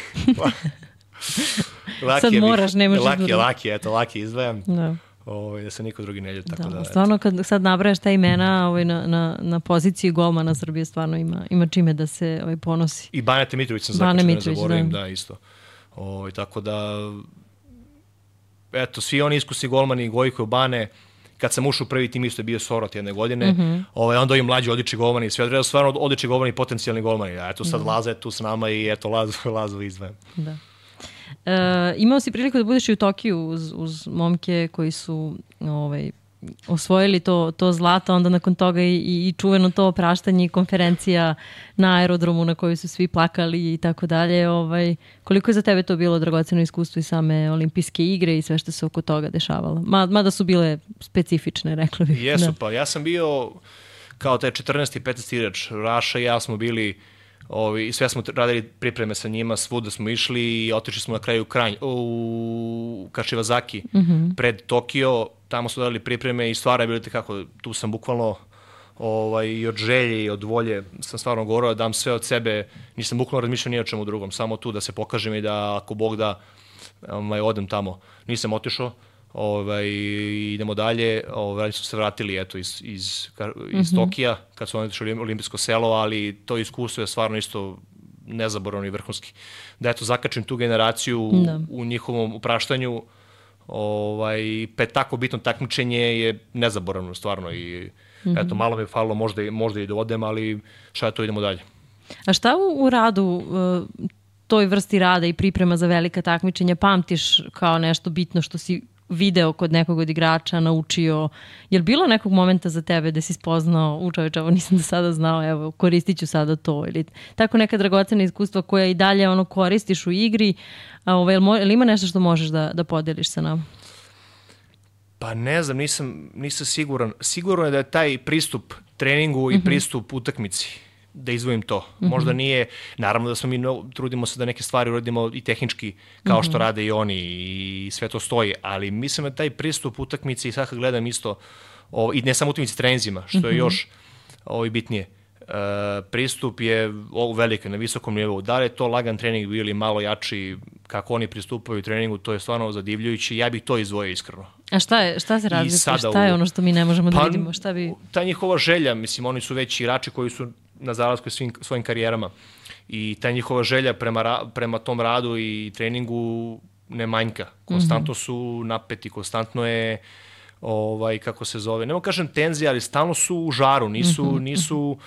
Laki sad moraš, ne možeš laki, laki, eto, laki izdvajam. Da. Ovaj, da se niko drugi ne ljuti. Tako da, da, stvarno, kad sad nabrajaš ta imena ovaj, na, na, na poziciji golmana Srbije, stvarno ima, ima čime da se ovaj, ponosi. I Bane Mitrović sam zakačen, ne zaboravim, da. da, isto. Ovaj, tako da, eto, svi oni iskusni golmani, Gojko, Bane, kad sam ušao u prvi tim isto je bio Sorot jedne godine, mm-hmm. ovaj, onda i mlađi odlični golmani, sve odredno stvarno odlični golmani, potencijalni golmani. A eto sad mm-hmm. Laza je tu s nama i eto Lazu, Lazu izdvajem. Da. E, imao si priliku da budeš i u Tokiju uz, uz momke koji su ovaj, osvojili to, to zlato, onda nakon toga i, i čuveno to opraštanje i konferencija na aerodromu na kojoj su svi plakali i tako dalje. Ovaj, koliko je za tebe to bilo dragoceno iskustvo i same olimpijske igre i sve što se oko toga dešavalo? Ma, mada su bile specifične, rekla bih. Jesu, da. Pa ja sam bio kao taj četrnaesti i petnaesti igrač. Raša i ja smo bili Ovi, sve smo radili pripreme sa njima, svuda smo išli i otišli smo na kraju u, Kranj, u Kašivazaki mm-hmm. pred Tokio, tamo smo radili pripreme i stvar je bilo kako, tu sam bukvalno ovaj, i od želje i od volje sam stvarno govorio da dam sve od sebe, nisam bukvalno razmišljao ni o čemu drugom, samo tu da se pokažem i da ako Bog da ovaj, odem tamo. Nisam otišao, ovaj, idemo dalje, ovaj, su se vratili eto, iz, iz, iz mm-hmm. Tokija kad su oni otišli u olimpijsko selo, ali to iskustvo je stvarno isto nezaboravno i vrhunski. Da eto, zakačim tu generaciju da. U njihovom upraštanju, ovaj, pa tako bitno takmičenje je nezaboravno stvarno i mm -hmm. eto, malo mi je falilo, možda, možda i da odem, ali šta to, idemo dalje. A šta u, u radu, uh, toj vrsti rada i priprema za velika takmičenja pamtiš kao nešto bitno što si video kod nekog od igrača, naučio? Je li bilo nekog momenta za tebe da si spoznao, u čoveče, ovo nisam do sada znao, evo, koristit ću sada to, ili tako neka dragocena iskustva koja i dalje ono koristiš u igri, a ovaj, je li ima nešto što možeš da, da podeliš sa nama? Pa ne znam, nisam, nisam siguran. Sigurno je da je taj pristup treningu i mm-hmm. pristup utakmici, da izvojim to. Mm-hmm. Možda nije, naravno da smo mi no, trudimo se da neke stvari uradimo i tehnički, kao mm-hmm. što rade i oni i sve to stoji, ali mislim da taj pristup utakmici i sad kad gledam isto, o, i ne samo utakmici treninzima, što mm-hmm. je još ovo, i bitnije, e, pristup je o, velike, na visokom nivou. Da li je to lagan trening bio ili malo jači, kako oni pristupaju treningu, to je stvarno zadivljujući. Ja bih to izdvojio iskreno. A šta je, šta se razlikuje? Šta je ono što mi ne možemo pa, da vidimo? Šta bi... Ta njihova želja, mislim, oni su već igrači koji su na zalasku svim svojim karijerama i ta njihova želja prema, prema tom radu i treningu ne manjka. Konstantno su napeti, konstantno je ovaj, kako se zove, nemo kažem tenzija, ali stalno su u žaru, nisu, nisu,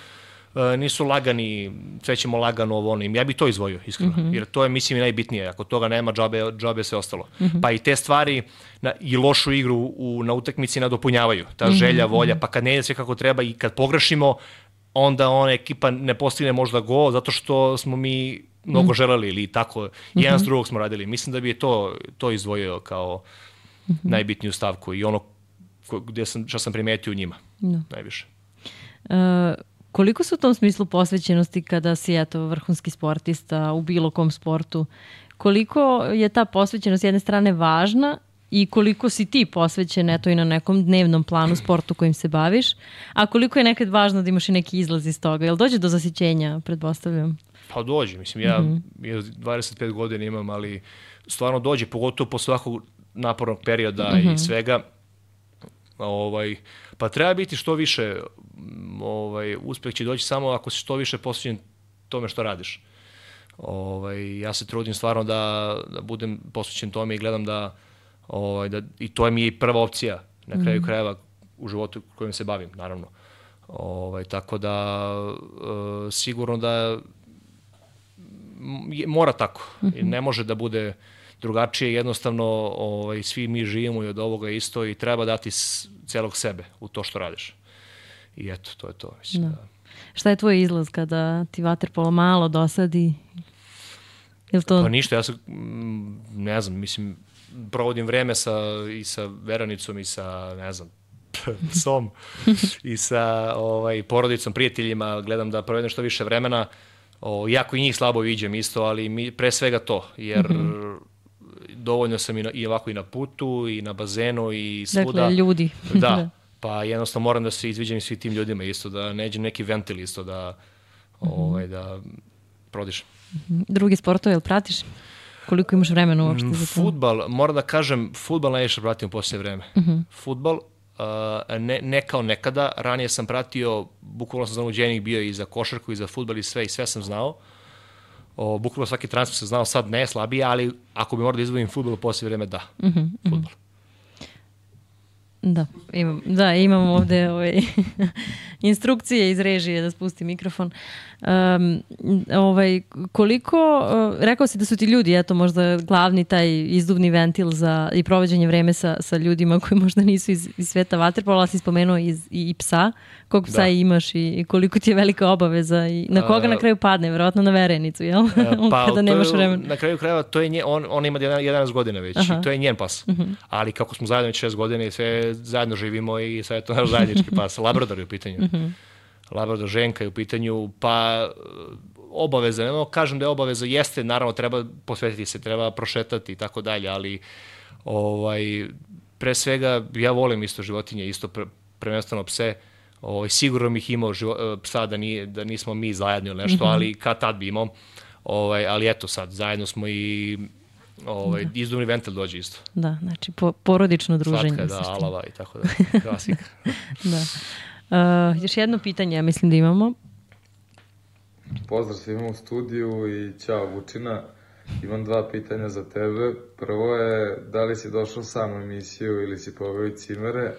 uh, nisu lagani, sve ćemo lagano ovo ono. Ja bih to izvojio, iskreno, mm-hmm. jer to je, mislim, i najbitnije. Ako toga nema, džabe, džabe sve ostalo. Mm-hmm. Pa i te stvari na, i lošu igru u, na utakmici nadopunjavaju. Ta mm-hmm. želja, volja, pa kad ne ide sve kako treba i kad pogrešimo, onda ona ekipa ne postigne možda gol zato što smo mi mnogo mm. želeli ili tako, jedan mm-hmm. s drugog smo radili. Mislim da bi je to, to izdvojio kao mm-hmm. najbitniju stavku i ono gdje sam, što sam primetio u njima no. najviše. Uh, koliko su u tom smislu posvećenosti kada si eto, vrhunski sportista u bilo kom sportu? Koliko je ta posvećenost s jedne strane važna i koliko si ti posvećen eto i na nekom dnevnom planu sportu kojim se baviš, a koliko je nekad važno da imaš i neki izlaz iz toga? Jel dođe do zasićenja, pretpostavljam? Pa dođe, mislim, ja mm-hmm. dvadeset pet godina imam, ali stvarno dođe, pogotovo po svakog napornog perioda mm-hmm. i svega. Ovaj, pa treba biti što više, ovaj, uspeh će doći samo ako si što više posvećen tome što radiš. Ovaj, ja se trudim stvarno da, da budem posvećen tome i gledam da Ovaj, da, i to je mi prva opcija na kraju mm. krajeva u životu kojim se bavim, naravno. Ovaj, tako da e, sigurno da je, mora tako. Mm-hmm. Ne može da bude drugačije. Jednostavno ovaj, svi mi živimo i od ovoga isto i treba dati s, celog sebe u to što radiš. I eto, to je to. Mislim, da. Da. Šta je tvoj izlaz kada ti vaterpolo malo dosadi? To... Pa ništa, ja sam, ne znam, mislim, provodim vreme sa, i sa Veranicom i sa, ne znam, psom i sa ovaj, porodicom, prijateljima, gledam da provedem što više vremena. O, jako i njih slabo viđem isto, ali mi, pre svega to, jer mm-hmm. dovoljno sam i, na, i ovako i na putu, i na bazenu, i svuda. Dakle, ljudi. Da, pa jednostavno moram da se izviđam svi tim ljudima isto, da neđem neki ventil isto, da, ovaj, da prodišem. Drugi sportove, jel pratiš? Koliko imaš vremena uopšte za to? Fudbal, moram da kažem, fudbal najviše pratim u posljednje vreme. Uh-huh. Fudbal, uh, ne, ne kao nekada, ranije sam pratio, bukvalno sam zanuđenik bio i za košarku i za fudbal i sve, i sve sam znao. O, bukvalno svaki transfer sam znao, sad ne, slabije, ali ako bi morao da izvojim fudbal u posljednje vreme, da, uh-huh, fudbal. Uh-huh. Da, imam, da, imam ovde ovaj, instrukcije iz režije da spusti mikrofon. Um, ovaj, koliko, uh, rekao si da su ti ljudi, eto možda glavni taj izduvni ventil za i provođenje vreme sa, sa ljudima koji možda nisu iz, iz sveta vaterpola, ali si spomenuo iz, i, i psa. Koliko psa da. imaš i, i koliko ti je velika obaveza i na koga uh, na kraju padne? Verovatno na Verenicu, jel? Uh, pa, kada nemaš je, vremena. Na kraju krajeva, to je nje, on, on ima jedanaest godina već. Aha. I to je njen pas. Uh-huh. Ali kako smo zajedno već šest godina i sve zajedno živimo i sve je to naš zajednički pas. Labrador je u pitanju. Uh-huh. Labrador ženka je u pitanju, pa obaveza, ne kažem da je obaveza, jeste, naravno treba posvetiti se, treba prošetati i tako dalje, ali ovaj, pre svega ja volim isto životinje, isto pre, prvenstveno pse, ovaj, sigurno bih imao živo, psa da, nije, da nismo mi zajedno ili nešto, mm-hmm. ali kad tad bi imao, ovaj, ali eto sad, zajedno smo i ovaj, izduvni ventil dođe isto. Da, znači po, porodično druženje. Slatka, da, alava i tako da, klasika. Da. Uh, još jedno pitanje, ja mislim da imamo. Pozdrav svima u studiju i ćao Vučina. Imam dva pitanja za tebe. Prvo je, da li si došao sam u emisiju ili si poveo i cimere,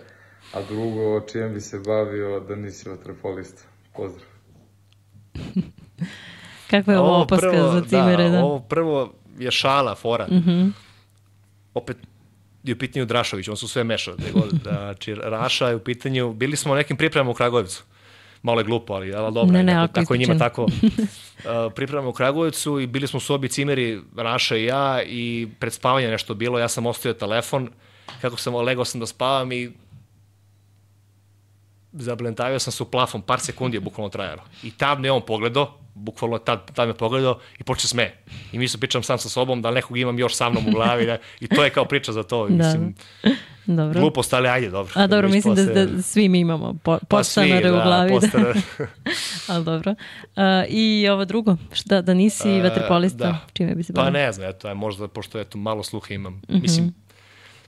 a drugo, čijem bi se bavio da nisi vaterpolista? Pozdrav. Kakva je ovo opaska prvo, za cimere? Da, da, ovo prvo je šala, fora. Mm-hmm. Opet je u pitanju Drašović, on su sve mešao. Znači, Raša je u pitanju, bili smo u nekim pripremama u Kragujevcu. Malo je glupo, ali, ali dobro, ne, ne, tako, tako je njima tako. Uh, pripremamo u Kragujevcu i bili smo u sobi cimeri, Raša i ja, i pred spavanje nešto bilo, ja sam ostavio telefon, kako sam legao sam da spavam i zablentavio sam se u plafon, par sekundi je bukvalno trajalo. I tad me on pogledao, bukvalno tad, tad me pogledao i počeo sme. I mi se pričam sam sa sobom da nekog imam još sa mnom u glavi da, i to je kao priča za to. Da. Mislim, dobro. Glupost, ali ajde, dobro. A dobro, mislim da, da svi mi imamo po, podstanare pa u glavi. Da. Ali dobro. Uh, I ovo drugo, šta, da nisi uh, vaterpolista, da. Čime bi se bavio? Pa ne znam, eto, možda, pošto eto, malo sluha imam. Mm-hmm. Mislim,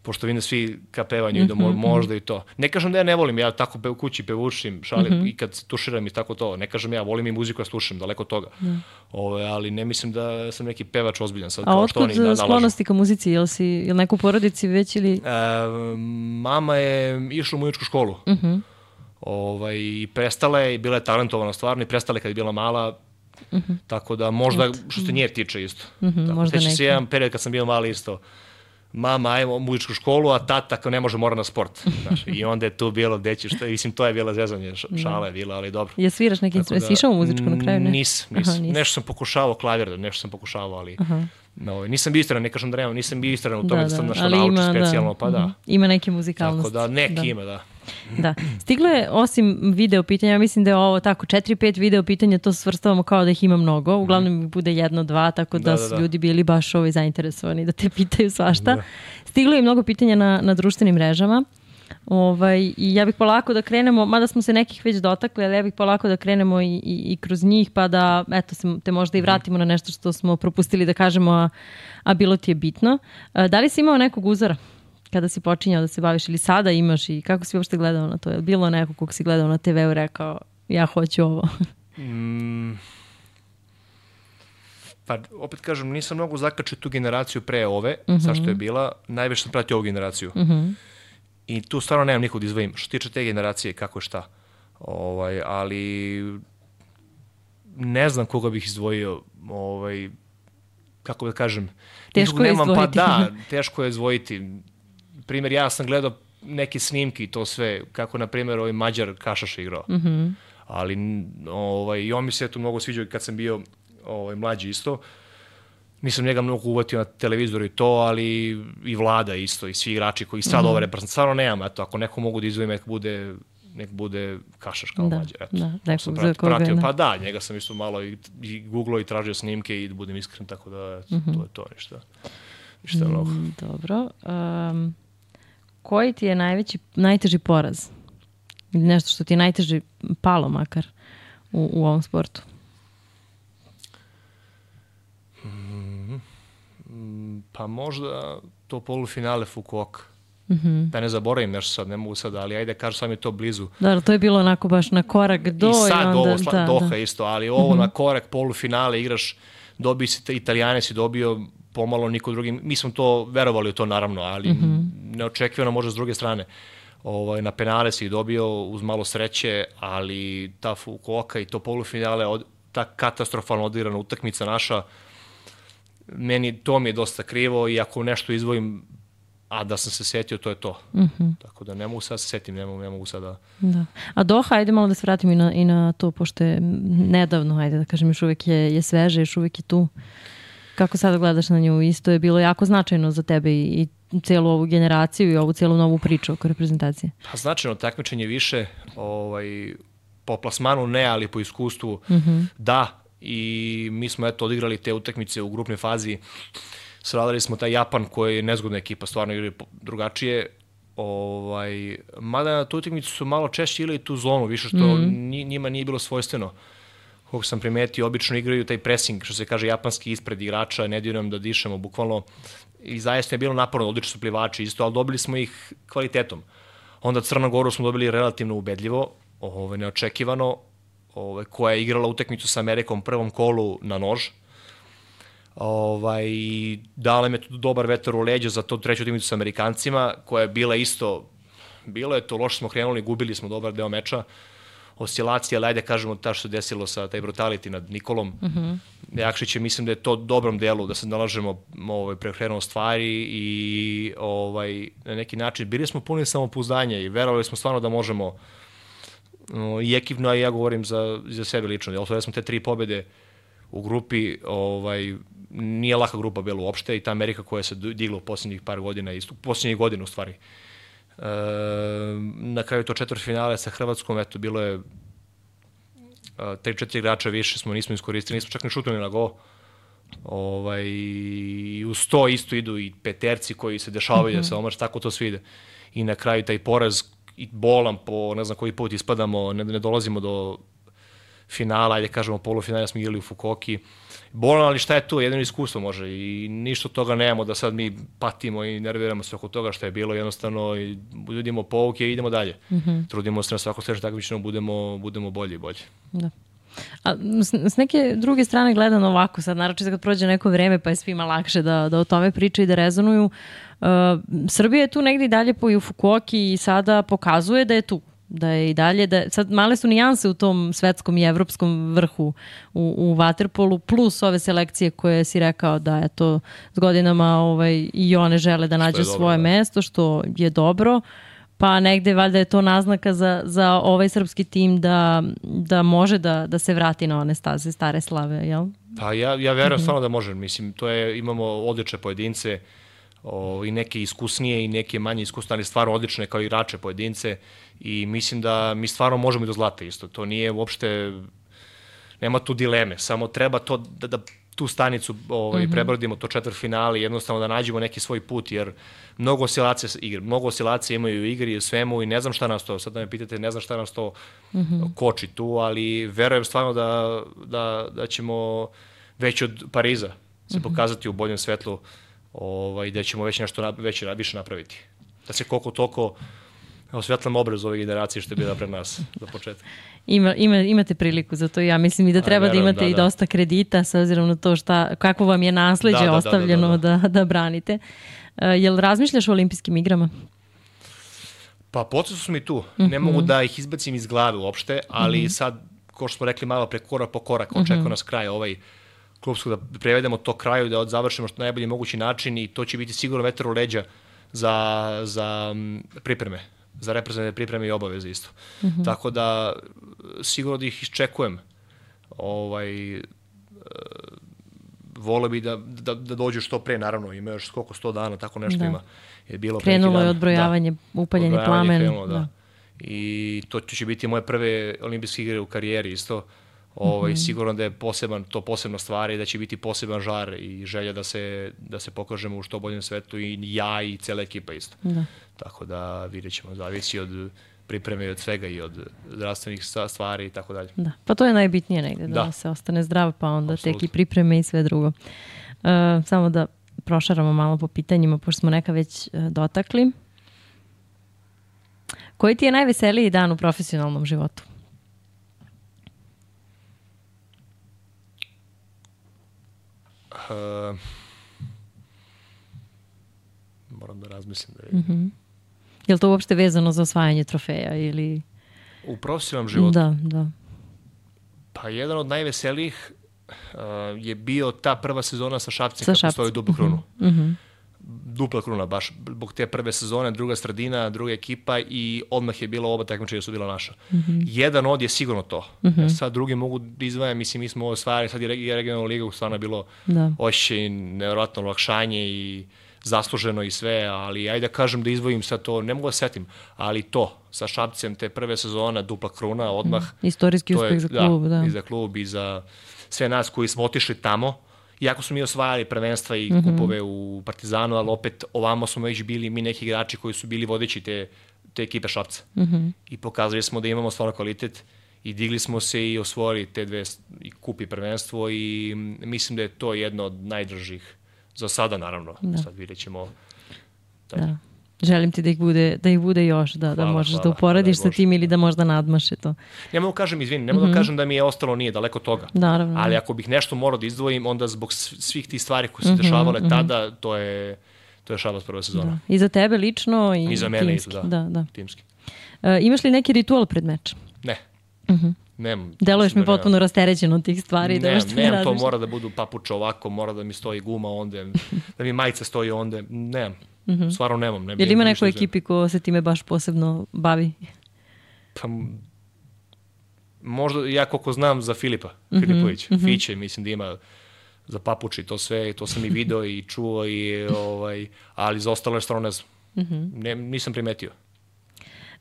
pošto vidim da svi ka pevanju i da mo, možda i to. Ne kažem da ja ne volim, ja tako pe, u kući pevušim, šalim mm-hmm. i kad tuširam i tako to. Ne kažem ja, volim i muziku ja slušam, daleko od toga. Mm. Ove, ali ne mislim da sam neki pevač ozbiljan sad. A otkud da, sklonosti ka muzici? Jel si jel neku porodici već ili? E, mama je išla u muzičku školu. Mm-hmm. Ovaj, i prestala je, i bila je talentovana stvarno, i prestala je kad je bila mala. Mm-hmm. Tako da možda, što se nje tiče isto. Mm-hmm, tako, možda neki. Se jedan period kad sam bio mali isto. Mama, ajmo u muzičku školu, a tata kao ne može, mora na sport. Znaš, i onda je tu bilo deći, što, mislim, to je bila zezanje, šala je bila, ali dobro. Je sviraš neki instrument? Da, si išao u muzičku na kraju? Ne? Nis, nis. Aha, nis. Nešto sam pokušavao klavir, nešto sam pokušavao, ali no, nisam bio istran, ne kažem da nemam, nisam bio istran u tome da, da sam našao nauči specijalno, da. Pa da. Ima neke muzikalnosti. Tako da, neki da. Ima, da. Da. Stiglo je, osim video pitanja, ja mislim da je ovo tako, četiri pet video pitanja, to svrstavamo kao da ih ima mnogo, uglavnom mm. bude jedno, dva, tako da, da su da, da. ljudi bili baš ovaj zainteresovani da te pitaju svašta. Da. Stiglo je mnogo pitanja na, na društvenim mrežama. Ovaj, i ja bih polako da krenemo, mada smo se nekih već dotakli, ali ja bih polako da krenemo i, i, i kroz njih, pa da eto, se, te možda i vratimo na nešto što smo propustili da kažemo, a, a bilo ti je bitno. A, da li si imao nekog uzora kada si počinjao da se baviš ili sada imaš i kako si uopšte gledao na to? Je li bilo neko kog si gledao na te veu rekao ja hoću ovo? mm, pa opet kažem, nisam mnogo zakačio tu generaciju pre ove, mm-hmm. zašto je bila, najviše sam pratio ovu generaciju. Mm-hmm. I tu stvarno nemam nikog da izvojim. Što tiče te generacije, kako je šta. Ovaj, ali ne znam koga bih izdvojio, ovaj, kako da kažem. Teško je nemam, izdvojiti. Pa da, teško je izdvojiti. Primjer, ja sam gledao neke snimke i to sve, kako na primjer ovaj Mađar Kašaš igrao. Mm-hmm. Ali ovaj, i on mi se to mnogo sviđao kad sam bio ovaj, mlađi isto. Nisam njega mnogo uvatio na televizoru i to, ali i Vlada isto, i svi igrači koji sad mm-hmm. ove reprezentacije. Stvarno nemam, eto, ako neko mogu da izdvojim, nek bude, nek bude Kašaš kao da, Mađar. Eto, da, nekog za koga. Pratio, pa da, njega sam isto malo i, i googlao i tražio snimke i da budem iskren, tako da eto, mm-hmm. to je to, ništa, ništa mnogo. Mm, dobro. Um, koji ti je najveći, najteži poraz? Ili nešto što ti je najteži palo makar u, u ovom sportu? Pa možda to polufinale Fukuoka. Mm-hmm. Da ne zaboravim nešto sad, ne mogu sad, ali ajde kažu sad mi je to blizu. Da, to je bilo onako baš na korak do i sad i onda, ovo, sla, da, Doha da. isto, ali ovo mm-hmm. na korak polufinale igraš, dobiji si, Italijane si dobio, pomalo niko drugi, mi smo to verovali u to naravno, ali mm-hmm. neočekivano može s druge strane. Ovaj, na penale si dobio uz malo sreće, ali ta Fukuoka i to polufinale, od, ta katastrofalno odigrana utakmica naša, meni to mi je dosta krivo i ako nešto izvojim, a da sam se setio, to je to. Mm-hmm. Tako da ne mogu sad se setim, ne mogu, ne mogu sad da... da. A Doha, ajde malo da se vratim i na, i na to, pošto je nedavno, ajde da kažem, još uvijek je, je sveže, još uvijek je tu. Kako sada gledaš na nju? Isto je bilo jako značajno za tebe i, i celu ovu generaciju i ovu celu novu priču oko reprezentacije. Pa značajno, takmičenje više, ovaj, po plasmanu ne, ali po iskustvu mm-hmm. da. I mi smo eto odigrali te utakmice u grupnoj fazi. Savladali smo taj Japan koji je nezgodna ekipa, stvarno igraju drugačije. Ovaj, mada na tu utakmicu su malo češće ili tu zonu, više što mm-hmm. njima nije bilo svojstveno. Kako sam primetio, obično igraju taj pressing, što se kaže japanski ispred igrača, ne daju nam da dišemo bukvalno. I zaista je bilo naporno, odlični su plivači isto, ali dobili smo ih kvalitetom. Onda Crnu Goru smo dobili relativno ubedljivo, ovaj, neočekivano, koja je igrala utakmicu sa Amerikom u prvom kolu na nož, Ovaj, dala me tu dobar vetar u leđa za to treću utakmicu sa Amerikancima, koja je bila isto, bilo je to, loše smo krenuli, gubili smo dobar deo meča, oscilacija, ali ajde kažemo ta što se desilo sa taj brutality nad Nikolom. Uh-huh. Jakšić je, mislim da je to dobrom delu, da se nalažemo ovaj, preokrenuo stvari i ovaj, na neki način bili smo puni samopouzdanja i verovali smo stvarno da možemo no, i ekipno, a ja govorim za, za sebe lično. Jel, smo te tri pobede u grupi, ovaj, nije laka grupa bila uopšte i ta Amerika koja se digla u posljednjih par godina, u posljednjih godina u stvari. E, na kraju to četvrtfinale sa Hrvatskom, eto, bilo je tri četiri igrača više smo nismo iskoristili, nismo čak ni šutnuli na go. Ovaj, i uz to isto idu i peterci koji se dešavaju mm-hmm. da se omaš, tako to svi ide. I na kraju taj poraz i bolan po ne znam koji put ispadamo, ne, ne dolazimo do finala, ajde kažemo polufinala smo igrali u Fukuoki. Bolan, ali šta je tu, jedino iskustvo može i ništa od toga nemamo da sad mi patimo i nerviramo se oko toga što je bilo, jednostavno i budimo pouke i idemo dalje. Mm-hmm. Trudimo se na svako sledeće takmičenje budemo, budemo bolji i bolji. Da. A s, s neke druge strane gledano ovako, sad naročito kad prođe neko vreme pa je svima lakše da, da o tome pričaju i da rezonuju, uh, Srbija je tu negdje i dalje po i u Fukuoki i sada pokazuje da je tu. Da je i dalje, da sad male su nijanse u tom svetskom i evropskom vrhu u, u vaterpolu, plus ove selekcije koje si rekao da je to s godinama ovaj, i one žele da nađe svoje dobro, mesto, što je dobro, pa negde valjda je to naznaka za, za ovaj srpski tim da, da može da, da se vrati na one staze stare slave, jel? Pa ja, ja verujem mm-hmm. stvarno da može, mislim, to je, imamo odlične pojedince, o, i neke iskusnije i neke manje iskusne, ali stvarno odlične kao igrače pojedince i mislim da mi stvarno možemo i do zlata isto. To nije uopšte, nema tu dileme, samo treba to da, da tu stanicu ovaj, mm-hmm. prebrodimo, to četvrtfinale, jednostavno da nađemo neki svoj put, jer mnogo oscilacija igre, mnogo oscilacija imaju u igri i u svemu i ne znam šta nas to, sad da me pitate, ne znam šta nas to mm-hmm. koči tu, ali verujem stvarno da, da, da ćemo već od Pariza se mm-hmm. pokazati u boljem svetlu, ovaj, da ćemo već nešto već više napraviti. Da se koliko toliko osvetlam obraz ove generacije što je bila pred nas za početak. Ima, ima, imate priliku za to, ja mislim i da treba A, verujem, da imate da, i da. dosta kredita s obzirom na to šta, kako vam je nasleđe da, da, ostavljeno da, da, da, da. da, da branite. Uh, jel razmišljaš o olimpijskim igrama? Pa podsjeću su mi tu. Mm-hmm. Ne mogu da ih izbacim iz glave uopšte, ali mm-hmm. sad, kao što smo rekli malo pre korak po korak, očekuje mm-hmm. nas kraj ovaj klubsku, da prevedemo to kraju, da završimo što najbolji mogući način i to će biti sigurno vetar u leđa za, za pripreme, za reprezentativne pripreme i obaveze isto. Mm-hmm. Tako da sigurno da ih iščekujem. Ovaj, vole bi da, da, da dođu što pre, naravno, ima još koliko sto dana, tako nešto da. ima. Je bilo krenulo je odbrojavanje, da, upaljeni plamen. Krenulo, da. Da. I to će biti moje prve olimpijske igre u karijeri isto. Ovaj, mm-hmm. Sigurno da je poseban, to posebna stvar i da će biti poseban žar i želja da se, da se pokažemo u što boljem svetu i ja i cela ekipa isto. Da. Tako da vidjet ćemo, zavisi od pripreme i od svega i od zdravstvenih stvari i tako dalje. Da, pa to je najbitnije negde, da, da. se ostane zdrav, pa onda Absolut. tek i pripreme i sve drugo. Uh, samo da prošaramo malo po pitanjima, pošto smo neka već uh, dotakli. Koji ti je najveseliji dan u profesionalnom životu? Uh, moram da razmislim. Da je... Mm-hmm. Je li to uopšte vezano za osvajanje trofeja ili... U profesionalnom životu? Da, da. Pa jedan od najveselijih uh, je bio ta prva sezona sa Šapcem, kako stoji duplu krunu. Mm-hmm. Dupla kruna, baš zbog te prve sezone, druga sredina, druga ekipa i odmah je bilo oba takmičenja su bila naša. Mm-hmm. Jedan od je sigurno to. Mm-hmm. Sad drugi mogu da izdvajam, mislim, mi smo ovo stvari, sad je regionalna liga, stvarno je bilo da. ošće i nevjerojatno olakšanje i zasluženo i sve, ali ajde da kažem da izdvojim sad to, ne mogu da setim, ali to, sa Šapcem, te prve sezona, dupla kruna, odmah. Mm. Istorijski uspeh za klub, da, da. I za klub i za sve nas koji smo otišli tamo. Iako smo mi osvajali prvenstva i mm-hmm. kupove u Partizanu, ali opet ovamo smo već bili mi neki igrači koji su bili vodeći te, te ekipe Šapca. Mm-hmm. I pokazali smo da imamo stvarno kvalitet i digli smo se i osvojili te dve i kup i prvenstvo i mislim da je to jedno od najdržih za sada, naravno. Da. Sad vidjet ćemo. Da. želim ti da ih bude, da ih bude još, da, hvala, da možeš hvala, da uporediš sa tim ili da možda nadmaše to. Ne mogu kažem, izvini, ne mogu mm-hmm. da kažem da mi je ostalo nije daleko toga. Naravno. Ali ako bih nešto morao da izdvojim, onda zbog svih tih stvari koje su mm-hmm, dešavale mm-hmm. tada, to je, to je Šabac prva sezona. Da. I za tebe lično i, I za mene timski. Isto, da. Da, da. Timski. Uh, imaš li neki ritual pred meč? Ne. Mhm. Nemam. Deluješ mi potpuno rasterećeno od tih stvari. Ne, da nemam, to mora da budu papuče ovako, mora da mi stoji guma onde, da mi majica stoji onde, nemam. Mm-hmm. Stvarno nemam. Ne, Jel ima neko ekipi ko se time baš posebno bavi? Pa, možda, ja koliko znam za Filipa, mm-hmm. Filipović, mm-hmm. Fiće, mislim da ima za papuči, to sve, to sam i video i čuo, i, ovaj, ali za ostalo je stvarno ne znam. Mm-hmm. Ne, nisam primetio.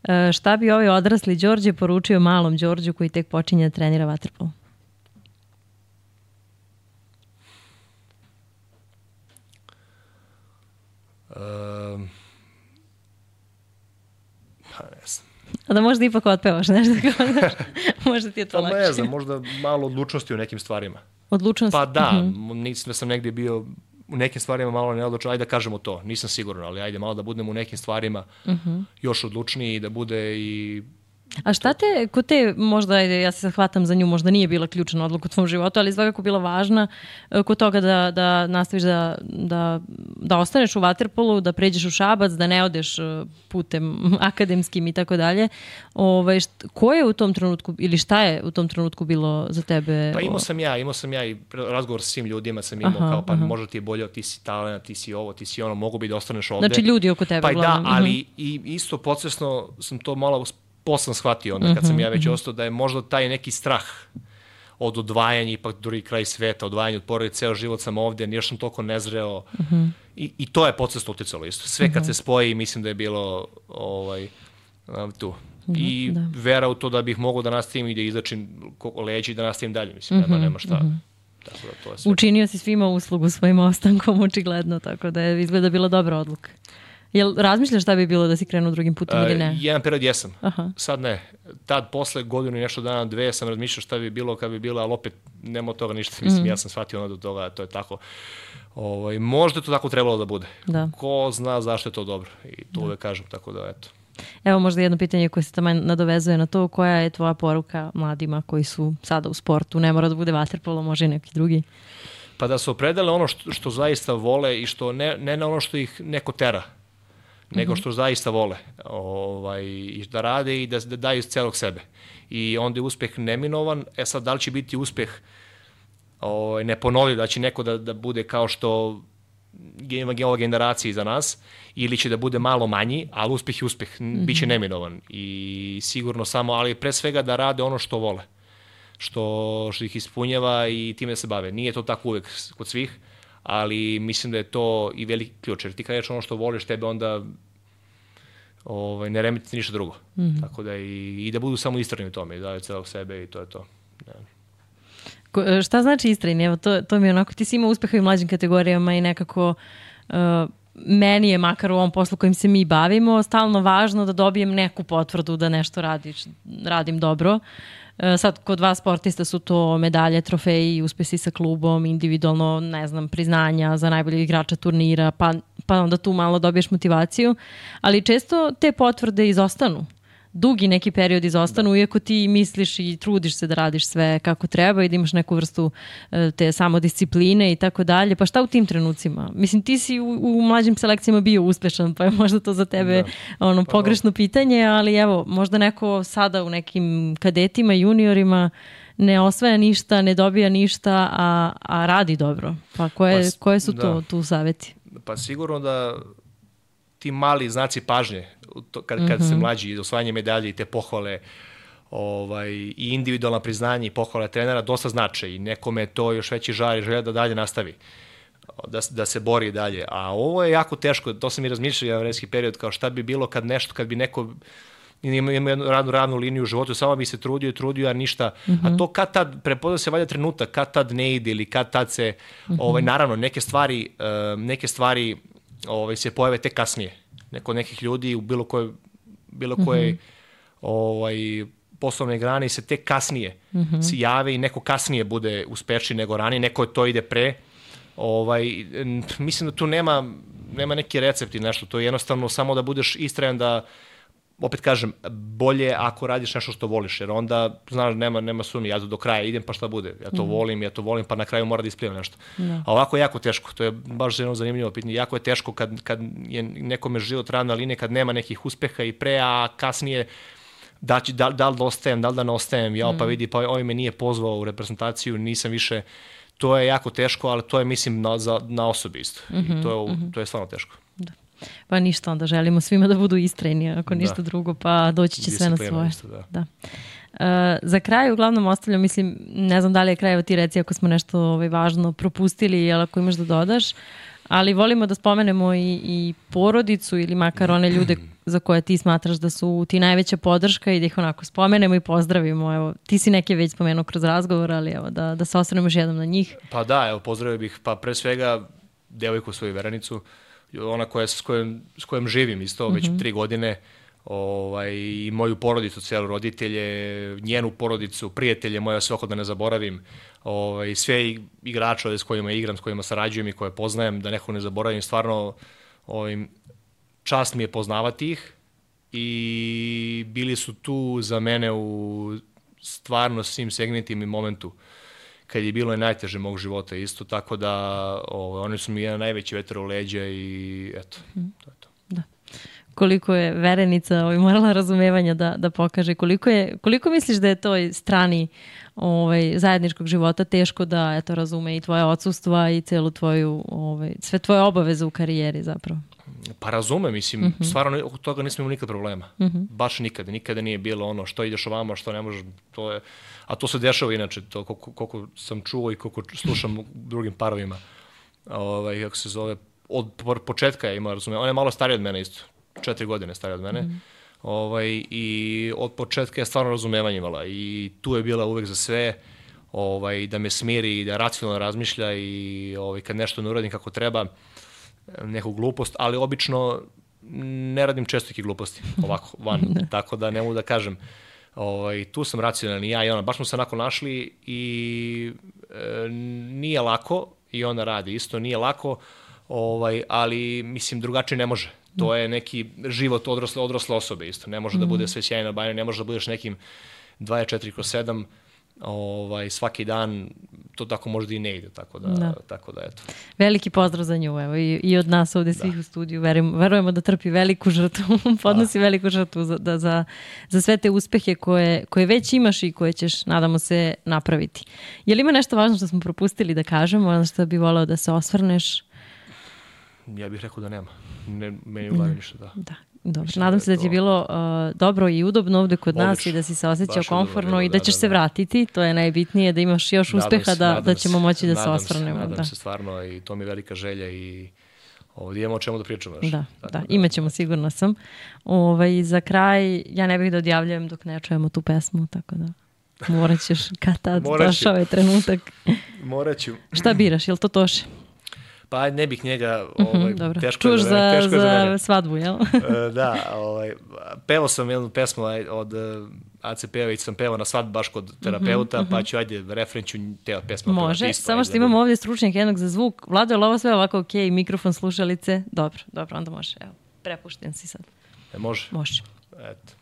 E, šta bi ovaj odrasli Đorđe poručio malom Đorđu koji tek počinje da trenira vaterpolo? Um, pa ne znam. A da možda ipak otpevaš nešto kao da, možda ti je to pa lakše. Ne znam, možda malo odlučnosti u nekim stvarima. Odlučnost? Pa da, uh-huh. nisam da sam negdje bio u nekim stvarima malo neodlučan, ajde da kažemo to, nisam siguran, ali ajde malo da budem u nekim stvarima uh-huh. još odlučniji i da bude i... A šta te, ko te, možda, ajde, ja se hvatam za nju, možda nije bila ključna odluka u tvom životu, ali svakako bila važna kod toga da, da nastaviš da, da, da ostaneš u vaterpolu, da pređeš u Šabac, da ne odeš putem akademskim i tako dalje. Ovaj, ko je u tom trenutku, ili šta je u tom trenutku bilo za tebe? Pa imao sam ja, imao sam ja i razgovor sa svim ljudima, sam imao aha, kao pa aha. možda ti je bolje, ti si talent, ti si ovo, ti si ono, mogu bi da ostaneš ovde. Znači ljudi oko tebe. Pa i da, ali uh-huh. i isto podsvesno sam to malo posle shvatio onda kad sam ja već ostao da je možda taj neki strah od odvajanja, ipak drugi kraj sveta, odvajanja od porodice, ceo život sam ovde, još sam toliko nezreo uh-huh. I, i to je podsvesno uticalo isto. Sve kad uh-huh. se spoji, mislim da je bilo ovaj, tu. I da. Vera u to da bih mogao da nastavim i da izačim leđi i da nastavim dalje, mislim, uh-huh. nema, nema šta. Uh-huh. Tako da to je sve. Učinio si svima uslugu svojim ostankom, očigledno, tako da je izgleda bila dobra odluka. Jel razmišljaš šta bi bilo da si krenuo drugim putem ili ne? Uh, jedan period jesam. Aha. Sad ne. Tad posle godinu i nešto dana, dve sam razmišljao šta bi bilo kad bi bilo, ali opet nema od toga ništa. Mislim, mm. ja sam shvatio ono do toga, to je tako. Ovaj, možda je to tako trebalo da bude. Da. Ko zna zašto je to dobro. I to da. Uvek kažem, tako da eto. Evo možda jedno pitanje koje se tamo nadovezuje na to. Koja je tvoja poruka mladima koji su sada u sportu? Ne mora da bude vaterpolo, može i neki drugi. Pa da se opredele ono što, što zaista vole i što ne, ne na ono što ih neko tera, nego što zaista vole ovaj, i da rade i da, da daju iz celog sebe. I onda je uspeh neminovan. E sad, da li će biti uspeh ovaj, neponovljiv, da će neko da, da bude kao što ima ova generacija iza nas, ili će da bude malo manji, ali uspeh je uspeh, mm-hmm. bit će neminovan. I sigurno samo, ali pre svega da rade ono što vole, što, što ih ispunjava i time da se bave. Nije to tako uvek kod svih, ali mislim da je to i veliki ključ, jer ti kad ješ ono što voliš, tebe onda ovaj, ne remeti ništa drugo. Mm-hmm. Tako da i, i da budu samo istrajni u tome, i daju celog sebe i to je to. Ja. Ko, šta znači istrajni? Evo, to, to mi je onako, ti si imao uspeha i u mlađim kategorijama i nekako uh, meni je, makar u ovom poslu kojim se mi bavimo, stalno važno da dobijem neku potvrdu da nešto radiš, radim dobro. Sad, kod vas sportista su to medalje, trofeji, uspesi sa klubom, individualno, ne znam, priznanja za najboljeg igrača turnira, pa, pa onda tu malo dobiješ motivaciju. Ali često te potvrde izostanu. Dugi neki period izostanu, da. Iako ti misliš i trudiš se da radiš sve kako treba i da imaš neku vrstu te samodiscipline i tako dalje. Pa šta u tim trenucima? Mislim, ti si u, u mlađim selekcijama bio uspešan, pa je možda to za tebe da. ono, pa pogrešno do. pitanje, ali evo, možda neko sada u nekim kadetima, juniorima ne osvaja ništa, ne dobija ništa, a, a radi dobro. Pa koje, pa, koje su da. to tu savjeti? Pa sigurno da ti mali znaci pažnje, to, kad, kad mm-hmm. se mlađi, osvajanje medalje i te pohvale ovaj, i individualna priznanja i pohvale trenera dosta znače i nekome to još veći žar i želja da dalje nastavi, da, da se bori dalje. A ovo je jako teško, to sam i razmišljao jedan vremenski period, kao šta bi bilo kad nešto, kad bi neko ima jednu radnu, ravnu liniju u životu, samo bi se trudio i trudio, a ništa. Mm-hmm. A to kad tad, prepoznao se valjda trenutak, kad tad ne ide ili kad tad se, mm-hmm. ovaj, naravno, neke stvari, uh, neke stvari ovaj, se pojave tek kasnije. Neko nekih ljudi u bilo koje, bilo koje mm-hmm. ovaj, poslovne grane se tek kasnije mm-hmm. se jave i neko kasnije bude uspešniji nego ranije, neko to ide pre. Ovaj, mislim da tu nema, nema neki recept i nešto, to je jednostavno samo da budeš istrajan da, opet kažem, bolje ako radiš nešto što voliš, jer onda, znaš, nema, nema sumnje, ja do kraja idem pa šta bude, ja to mm. volim, ja to volim, pa na kraju mora da isplivam nešto. No. A ovako je jako teško, to je baš jedno zanimljivo pitanje, jako je teško kad, kad je nekome život ravna linija, kad nema nekih uspeha i pre, a kasnije da, da, da li da ostajem, da li da ne ostajem, ja pa vidi, pa ovaj me nije pozvao u reprezentaciju, nisam više, to je jako teško, ali to je, mislim, na, za, na osobi isto. Mm-hmm, I to je, mm-hmm. to je stvarno teško. Da. Pa ništa, onda želimo svima da budu istrajni, ako ništa da. drugo, pa doći će sve na svoje. Isto, da. Da. Uh, za kraj uglavnom ostavljam, mislim, ne znam da li je kraj, ti reci ako smo nešto ovaj, važno propustili, ili ako imaš da dodaš, ali volimo da spomenemo i, i porodicu ili makar one ljude za koje ti smatraš da su ti najveća podrška i da ih onako spomenemo i pozdravimo. Evo, ti si neke već spomenuo kroz razgovor, ali evo, da, da se osvrnemo još jednom na njih. Pa da, evo, pozdravio bih, pa pre svega devojku svoju Verenicu, ona koja, s, kojom, s kojom živim isto već mm-hmm. tri godine, ovaj, i moju porodicu, celu roditelje, njenu porodicu, prijatelje moje, svako da ne zaboravim, ovaj, sve igrače s kojima igram, s kojima sarađujem i koje poznajem, da nekog ne zaboravim, stvarno ovaj, čast mi je poznavati ih i bili su tu za mene u stvarno svim segmentima i momentu kad je bilo i najteže mog života isto, tako da ovaj, oni su mi jedan najveći vetar u leđa i eto, mm. to je to. Da. Koliko je Verenica ovaj, morala razumevanja da, da pokaže, koliko, je, koliko misliš da je toj strani ovaj, zajedničkog života teško da eto, razume i tvoje odsustva i celu tvoju, ovaj, sve tvoje obaveze u karijeri zapravo? Pa razume, mislim, mm-hmm. stvarno od toga nismo imali nikad problema. Mm-hmm. Baš nikada, nikada nije bilo ono što ideš ovamo, što ne možeš, to je, a to se dešava inače, to koliko, koliko sam čuo i koliko slušam u drugim parovima, ovaj, kako se zove, od početka je imao razume, on je malo stariji od mene isto, četiri godine stariji od mene, mm-hmm. ovaj, i od početka je stvarno razumevanje imala i tu je bila uvek za sve, ovaj, da me smiri i da racionalno razmišlja i ovaj, kad nešto ne uradim kako treba, neku glupost, ali obično ne radim često neke gluposti, ovako, van, tako da ne mogu da kažem. Ovaj, tu sam racionalan i ja i ona, baš smo se onako našli i e, nije lako i ona radi isto, nije lako, ovaj, ali mislim drugačije ne može. To je neki život odrasle, odrasle osobe isto, ne može mm. da bude sve sjajno bajno, ne može da budeš nekim dvadeset četiri kroz sedam, ovaj, svaki dan, to tako možda i ne ide, tako da, da. Tako da eto. Veliki pozdrav za nju, evo, i, i od nas ovde svih da. U studiju, verujemo, verujemo da trpi veliku žrtvu, podnosi da. Veliku žrtvu za, da, za, za sve te uspehe koje, koje već imaš i koje ćeš, nadamo se, napraviti. Je li ima nešto važno što smo propustili da kažemo, ono što bi voleo da se osvrneš? Ja bih rekao da nema. Ne, meni u glavi ništa, da. Da. Dobro, nadam se da ti je bilo uh, dobro i udobno ovde kod Odlično. Nas i da si se osjećao komfortno bilo, i da, da ćeš da, se vratiti. To je najbitnije, da imaš još nadam uspeha se, da, da ćemo moći da se osvrnemo. Nadam da. se stvarno i to mi je velika želja i ovdje imamo o čemu da pričamo. Još. Da, da, da, imat ćemo, sigurno sam. Ovaj, za kraj, ja ne bih da odjavljujem dok ne čujemo tu pesmu, tako da morat ćeš kad tad došao je trenutak. Morat ću. Šta biraš, je li to Toše? Pa ne bih njega, ovaj, uh-huh, teško Čuš je za, za, teško za, za za svadbu, jel? Da, ovaj, pevao sam jednu pesmu od A C P-a, sam pevao na svadbu baš kod terapeuta, uh-huh, pa ću, ajde, refren ću te pesma. Može, isto, samo što imamo ovdje stručnjak jednog za zvuk. Vlado, je li ovo sve ovako ok, mikrofon, slušalice? Dobro, dobro, onda može. Evo, prepušten si sad. E, može? Može. Eto.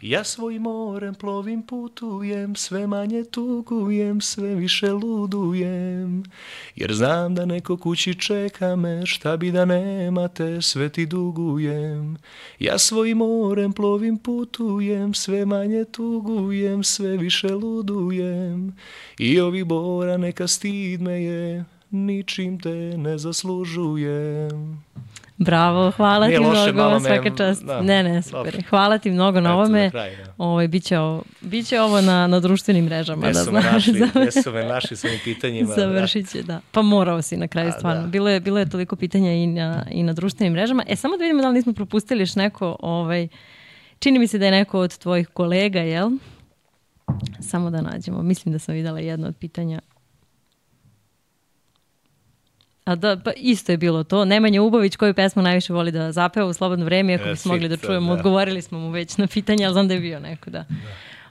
Ja svojim morem plovim, putujem, sve manje tugujem, sve više ludujem, jer znam da neko kući čeka me, šta bi da nemate, sve ti dugujem. Ja svojim morem plovim, putujem, sve manje tugujem, sve više ludujem, i ovih bora neka stid me je, ničim te ne zaslužujem. Bravo, hvala Nije ti loše, mnogo, svaka čast. Da, ne, ne, super. Hvala ti mnogo na ovome. Kraj, da. Ovo, biće ovo, biće ovo na, na društvenim mrežama. Gde da su me našli, gde su me našli s ovim pitanjima. Završit će, da. Pa morao si na kraju, A, stvarno. Da. Bilo je, bilo je toliko pitanja i na, i na društvenim mrežama. E, samo da vidimo da li nismo propustili još neko, ovaj, čini mi se da je neko od tvojih kolega, jel? Samo da nađemo. Mislim da sam videla jedno od pitanja. A da, pa isto je bilo to. Nemanja Ubović, koju pesmu najviše voli da zapeva u slobodno vreme, ako bismo mogli da čujemo, da. Odgovorili smo mu već na pitanje, ali znam da je bio neko, da. da.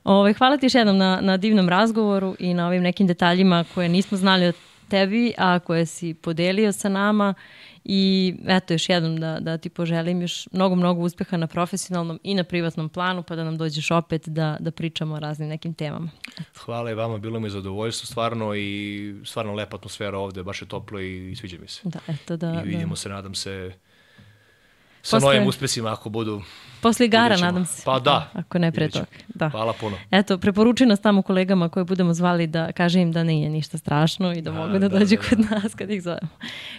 Ove, hvala ti još jednom na, na divnom razgovoru i na ovim nekim detaljima koje nismo znali o tebi, a koje si podelio sa nama i eto još jednom da, da ti poželim još mnogo, mnogo uspeha na profesionalnom i na privatnom planu, pa da nam dođeš opet da, da pričamo o raznim nekim temama. Eto. Hvala i vama, bilo mi zadovoljstvo stvarno i stvarno lepa atmosfera ovde, baš je toplo i, i sviđa mi se. Da, eto da. I vidimo da. se, nadam se, sa Posle... novim uspesima ako budu... Posle igara, nadam se. Pa da. Ako ne pre toga. Da. Hvala puno. Eto, preporuči nas tamo kolegama koje budemo zvali da kaže im da nije ništa strašno i da, da mogu da, da dođu da, da. kod nas kad ih zovemo.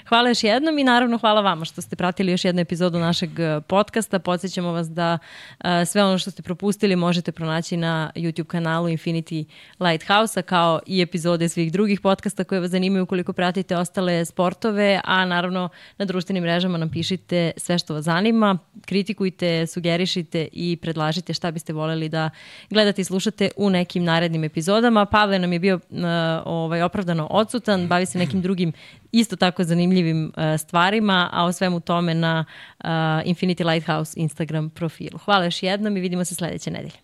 Hvala još jednom i naravno hvala vama što ste pratili još jednu epizodu našeg podcasta. Podsjećamo vas da uh, sve ono što ste propustili možete pronaći na YouTube kanalu Infinity Lighthouse-a kao i epizode svih drugih podcasta koje vas zanimaju ukoliko pratite ostale sportove, a naravno na društvenim mrežama nam pišite sve što vas zanima, kritikujte, sugerišite i predlažite šta biste voljeli da gledate i slušate u nekim narednim epizodama. Pavle nam je bio uh, ovaj, opravdano odsutan, bavi se nekim drugim isto tako zanimljivim uh, stvarima, a o svemu tome na uh, Infinity Lighthouse Instagram profilu. Hvala još jednom i vidimo se sledeće nedelje.